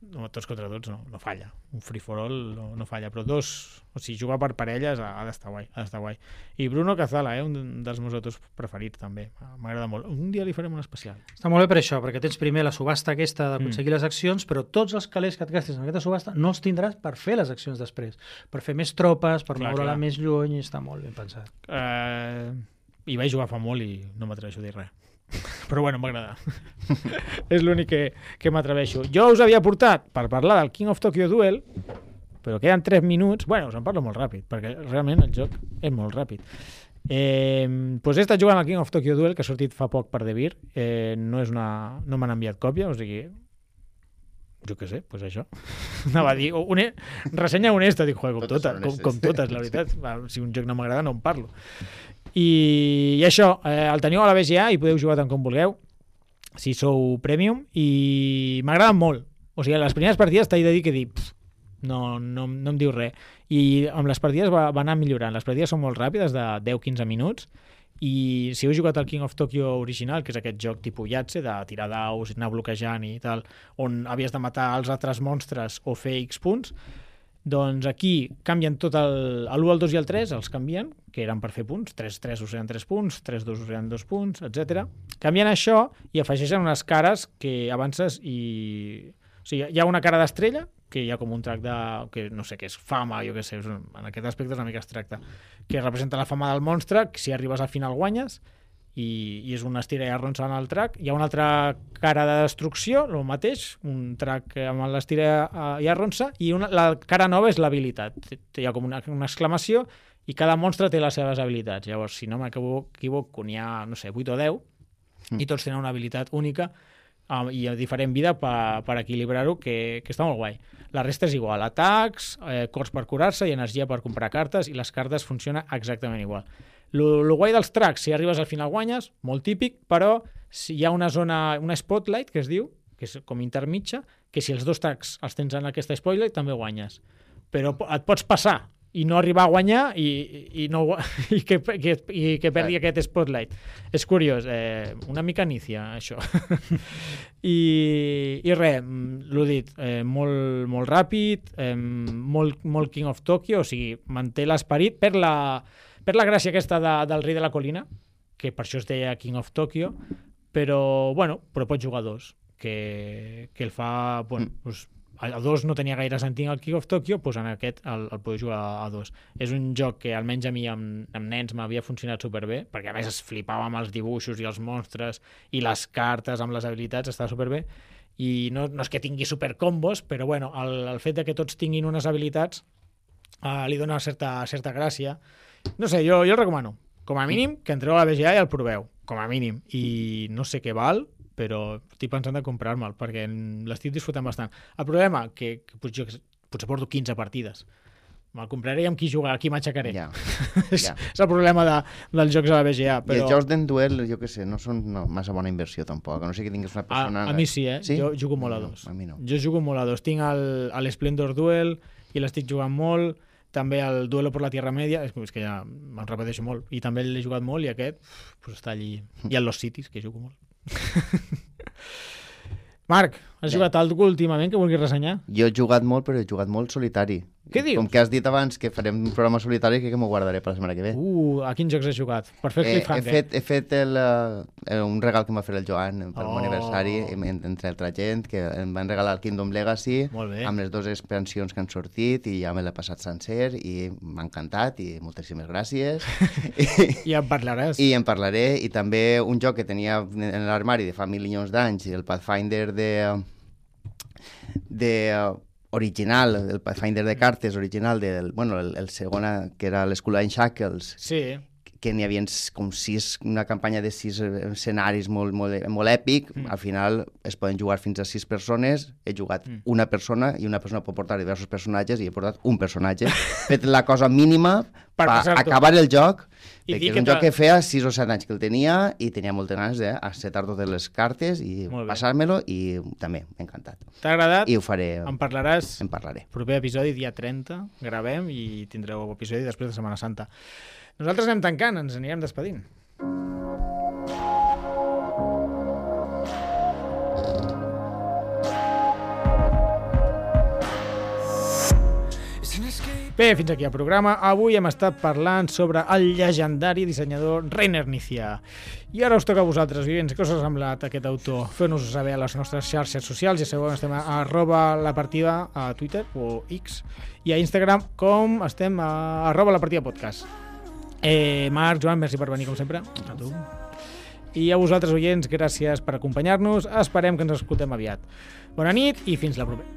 No, tots contra tots no, no falla. Un free for all no, no falla, però dos, o sigui, jugar per parelles ha, ha d'estar guai, ha d'estar guai. I Bruno Cazala, eh, un dels meus autors preferits també, m'agrada molt. Un dia li farem un especial. Està molt bé per això, perquè tens primer la subhasta aquesta d'aconseguir Mm. les accions, però tots els calés que et gastis en aquesta subhasta no els tindràs per fer les accions després, per fer més tropes, per Clar, moure-la clar. més lluny, i està molt ben pensat. Eh, I vaig jugar fa molt i no m'atreveixo a dir res. Però bueno, m'agrada. És l'únic que, que m'atreveixo. Jo us havia portat per parlar del King of Tokyo Duel, però queden tres minuts. Bueno, us en parlo molt ràpid, perquè realment el joc és molt ràpid. Eh, doncs he estat jugant al King of Tokyo Duel, que ha sortit fa poc per Devir. Eh, no és una, no m'han enviat còpia, o sigui... Jo què sé, doncs això. Anava a dir, une, ressenya honesta, dic, joder, com Totes totes, són com, honestes. com totes, la veritat. Va, si un joc no m'agrada, no en parlo. I, i això, eh, el teniu a la B G A i podeu jugar tant com vulgueu, si sou Premium, i m'agrada molt. O sigui, a les primeres partides t'he de dir que dir, pff, no, no, no em diu res. I amb les partides va, va anar millorant. Les partides són molt ràpides, de deu a quinze minuts, i si heu jugat al King of Tokyo original, que és aquest joc tipus Yatze, de tirar daus, anar bloquejant i tal, on havies de matar els altres monstres o fer X punts, doncs aquí canvien tot el... l'u, el dos i el tres els canvien, que eren per fer punts, tres tres us eren tres punts, tres dos us eren dos punts, etcètera. Canvien això i afegeixen unes cares que avances i... O sigui, hi ha una cara d'estrella, que hi ha com un trac de... que no sé què és, fama, jo què sé, és un, en aquest aspecte és una mica abstracte, que representa la fama del monstre, que si arribes al final guanyes, i, i és una estira i arronsa en el trac. Hi ha una altra cara de destrucció, el mateix, un trac amb l'estira i arronsa, i una, la cara nova és l'habilitat. Hi ha com una, una exclamació, i cada monstre té les seves habilitats. Llavors, si no m'equivoco, n'hi ha, no sé, vuit o deu, mm. i tots tenen una habilitat única, Um, i a diferent vida per, per equilibrar-ho, que, que està molt guai. La resta és igual, atacs, eh, cors per curar-se i energia per comprar cartes, i les cartes funcionen exactament igual. Lo, lo guai dels tracks, si arribes al final guanyes, molt típic, però si hi ha una zona, una spotlight, que es diu, que és com intermitja, que si els dos tracks els tens en aquesta spotlight també guanyes. Però et pots passar i no arribar a guanyar i, i, no, i, que, que, i que perdi aquest spotlight. És curiós, eh, una mica nícia, això. I, i res, l'ho dit, eh, molt, molt ràpid, eh, molt, molt King of Tokyo, o sigui, manté l'esperit per la, per la gràcia aquesta de, del rei de la colina, que per això es deia King of Tokyo, però, bueno, però pots jugar a dos, que, que el fa, bueno, mm. pues, a dos no tenia gaire sentit el King of Tokyo, doncs en aquest el, el poder jugar a dos. És un joc que almenys a mi amb, amb nens m'havia funcionat superbé, perquè a més es flipava amb els dibuixos i els monstres i les cartes amb les habilitats, estava superbé, i no, no és que tingui supercombos, però bueno, el, el fet de que tots tinguin unes habilitats eh, li dona certa, certa gràcia. No sé, jo, jo el recomano. Com a mínim, que entreu a la B G A i el proveu, com a mínim. I no sé què val, però estic pensant de comprar-me'l, perquè l'estic disfrutant bastant. El problema, que, que potser, potser porto quinze partides. Me'l compraré i amb qui jugar, aquí m'aixecaré. Ja, és, ja. és el problema de, dels jocs de la B G A. Però... I els jocs d'en duel, jo què sé, no són no, massa bona inversió tampoc, a no sé que tinguis una persona... A, a mi sí, eh? Sí? Jo jugo molt a dos. No, a mi no. Jo jugo molt a dos. Tinc l'Splendor Duel i l'estic jugant molt, també el Duelo por la Tierra Media, és, és que ja me'n repeteixo molt, i també l'he jugat molt, i aquest pues, està allí. I el Lost Cities, que jugo molt. Marc, has jugat algú últimament que vulguis ressenyar? Jo he jugat molt, però he jugat molt solitari. Què dius? Com que has dit abans que farem un programa solitari, que m'ho guardaré per la setmana que ve. Uh, a quins jocs has jugat? Per fer el eh, cliffhanger. He fet, he fet el, uh, un regal que m'ha fet el Joan per oh. meu aniversari, entre altra gent, que em van regalar el Kingdom Legacy amb les dues expansions que han sortit, i ja me l'he passat sencer i m'ha encantat, i moltíssimes gràcies. I en parlaràs. I en parlaré, i també un joc que tenia en l'armari de fa milions d'anys, el Pathfinder de... de original, el Pathfinder de cartes original del, bueno, el, el segon que era l'Skull and Shackles, sí. que n'hi havia com sis, una campanya de sis escenaris molt, molt, molt èpic, mm. al final es poden jugar fins a sis persones, he jugat mm. una persona, i una persona pot portar diversos personatges, i he portat un personatge, fet la cosa mínima per, per acabar el joc, I perquè és un joc que feia sis o set anys que el tenia, i tenia moltes ganes d'acetar totes les cartes i passar-me-lo, i també m'ha encantat. T'ha agradat? I ho faré. En parlaràs? En parlaré. Proper episodi, dia trenta, gravem, i tindreu episodi després de Setmana Santa. Nosaltres anem tancant, ens anirem despedint. Bé, fins aquí el programa. Avui hem estat parlant sobre el llegendari dissenyador Reiner Knizia. I ara us toca a vosaltres, oients, què us ha semblat aquest autor? Feu-nos-ho saber a les nostres xarxes socials, ja sabeu, estem a arroba la partida a Twitter o X, i a Instagram com estem a arroba la partida podcast. Eh, Marc, Joan, merci per venir com sempre. A tu. I a vosaltres, oients, gràcies per acompanyar-nos. Esperem que ens escoltem aviat. Bona nit i fins la propera.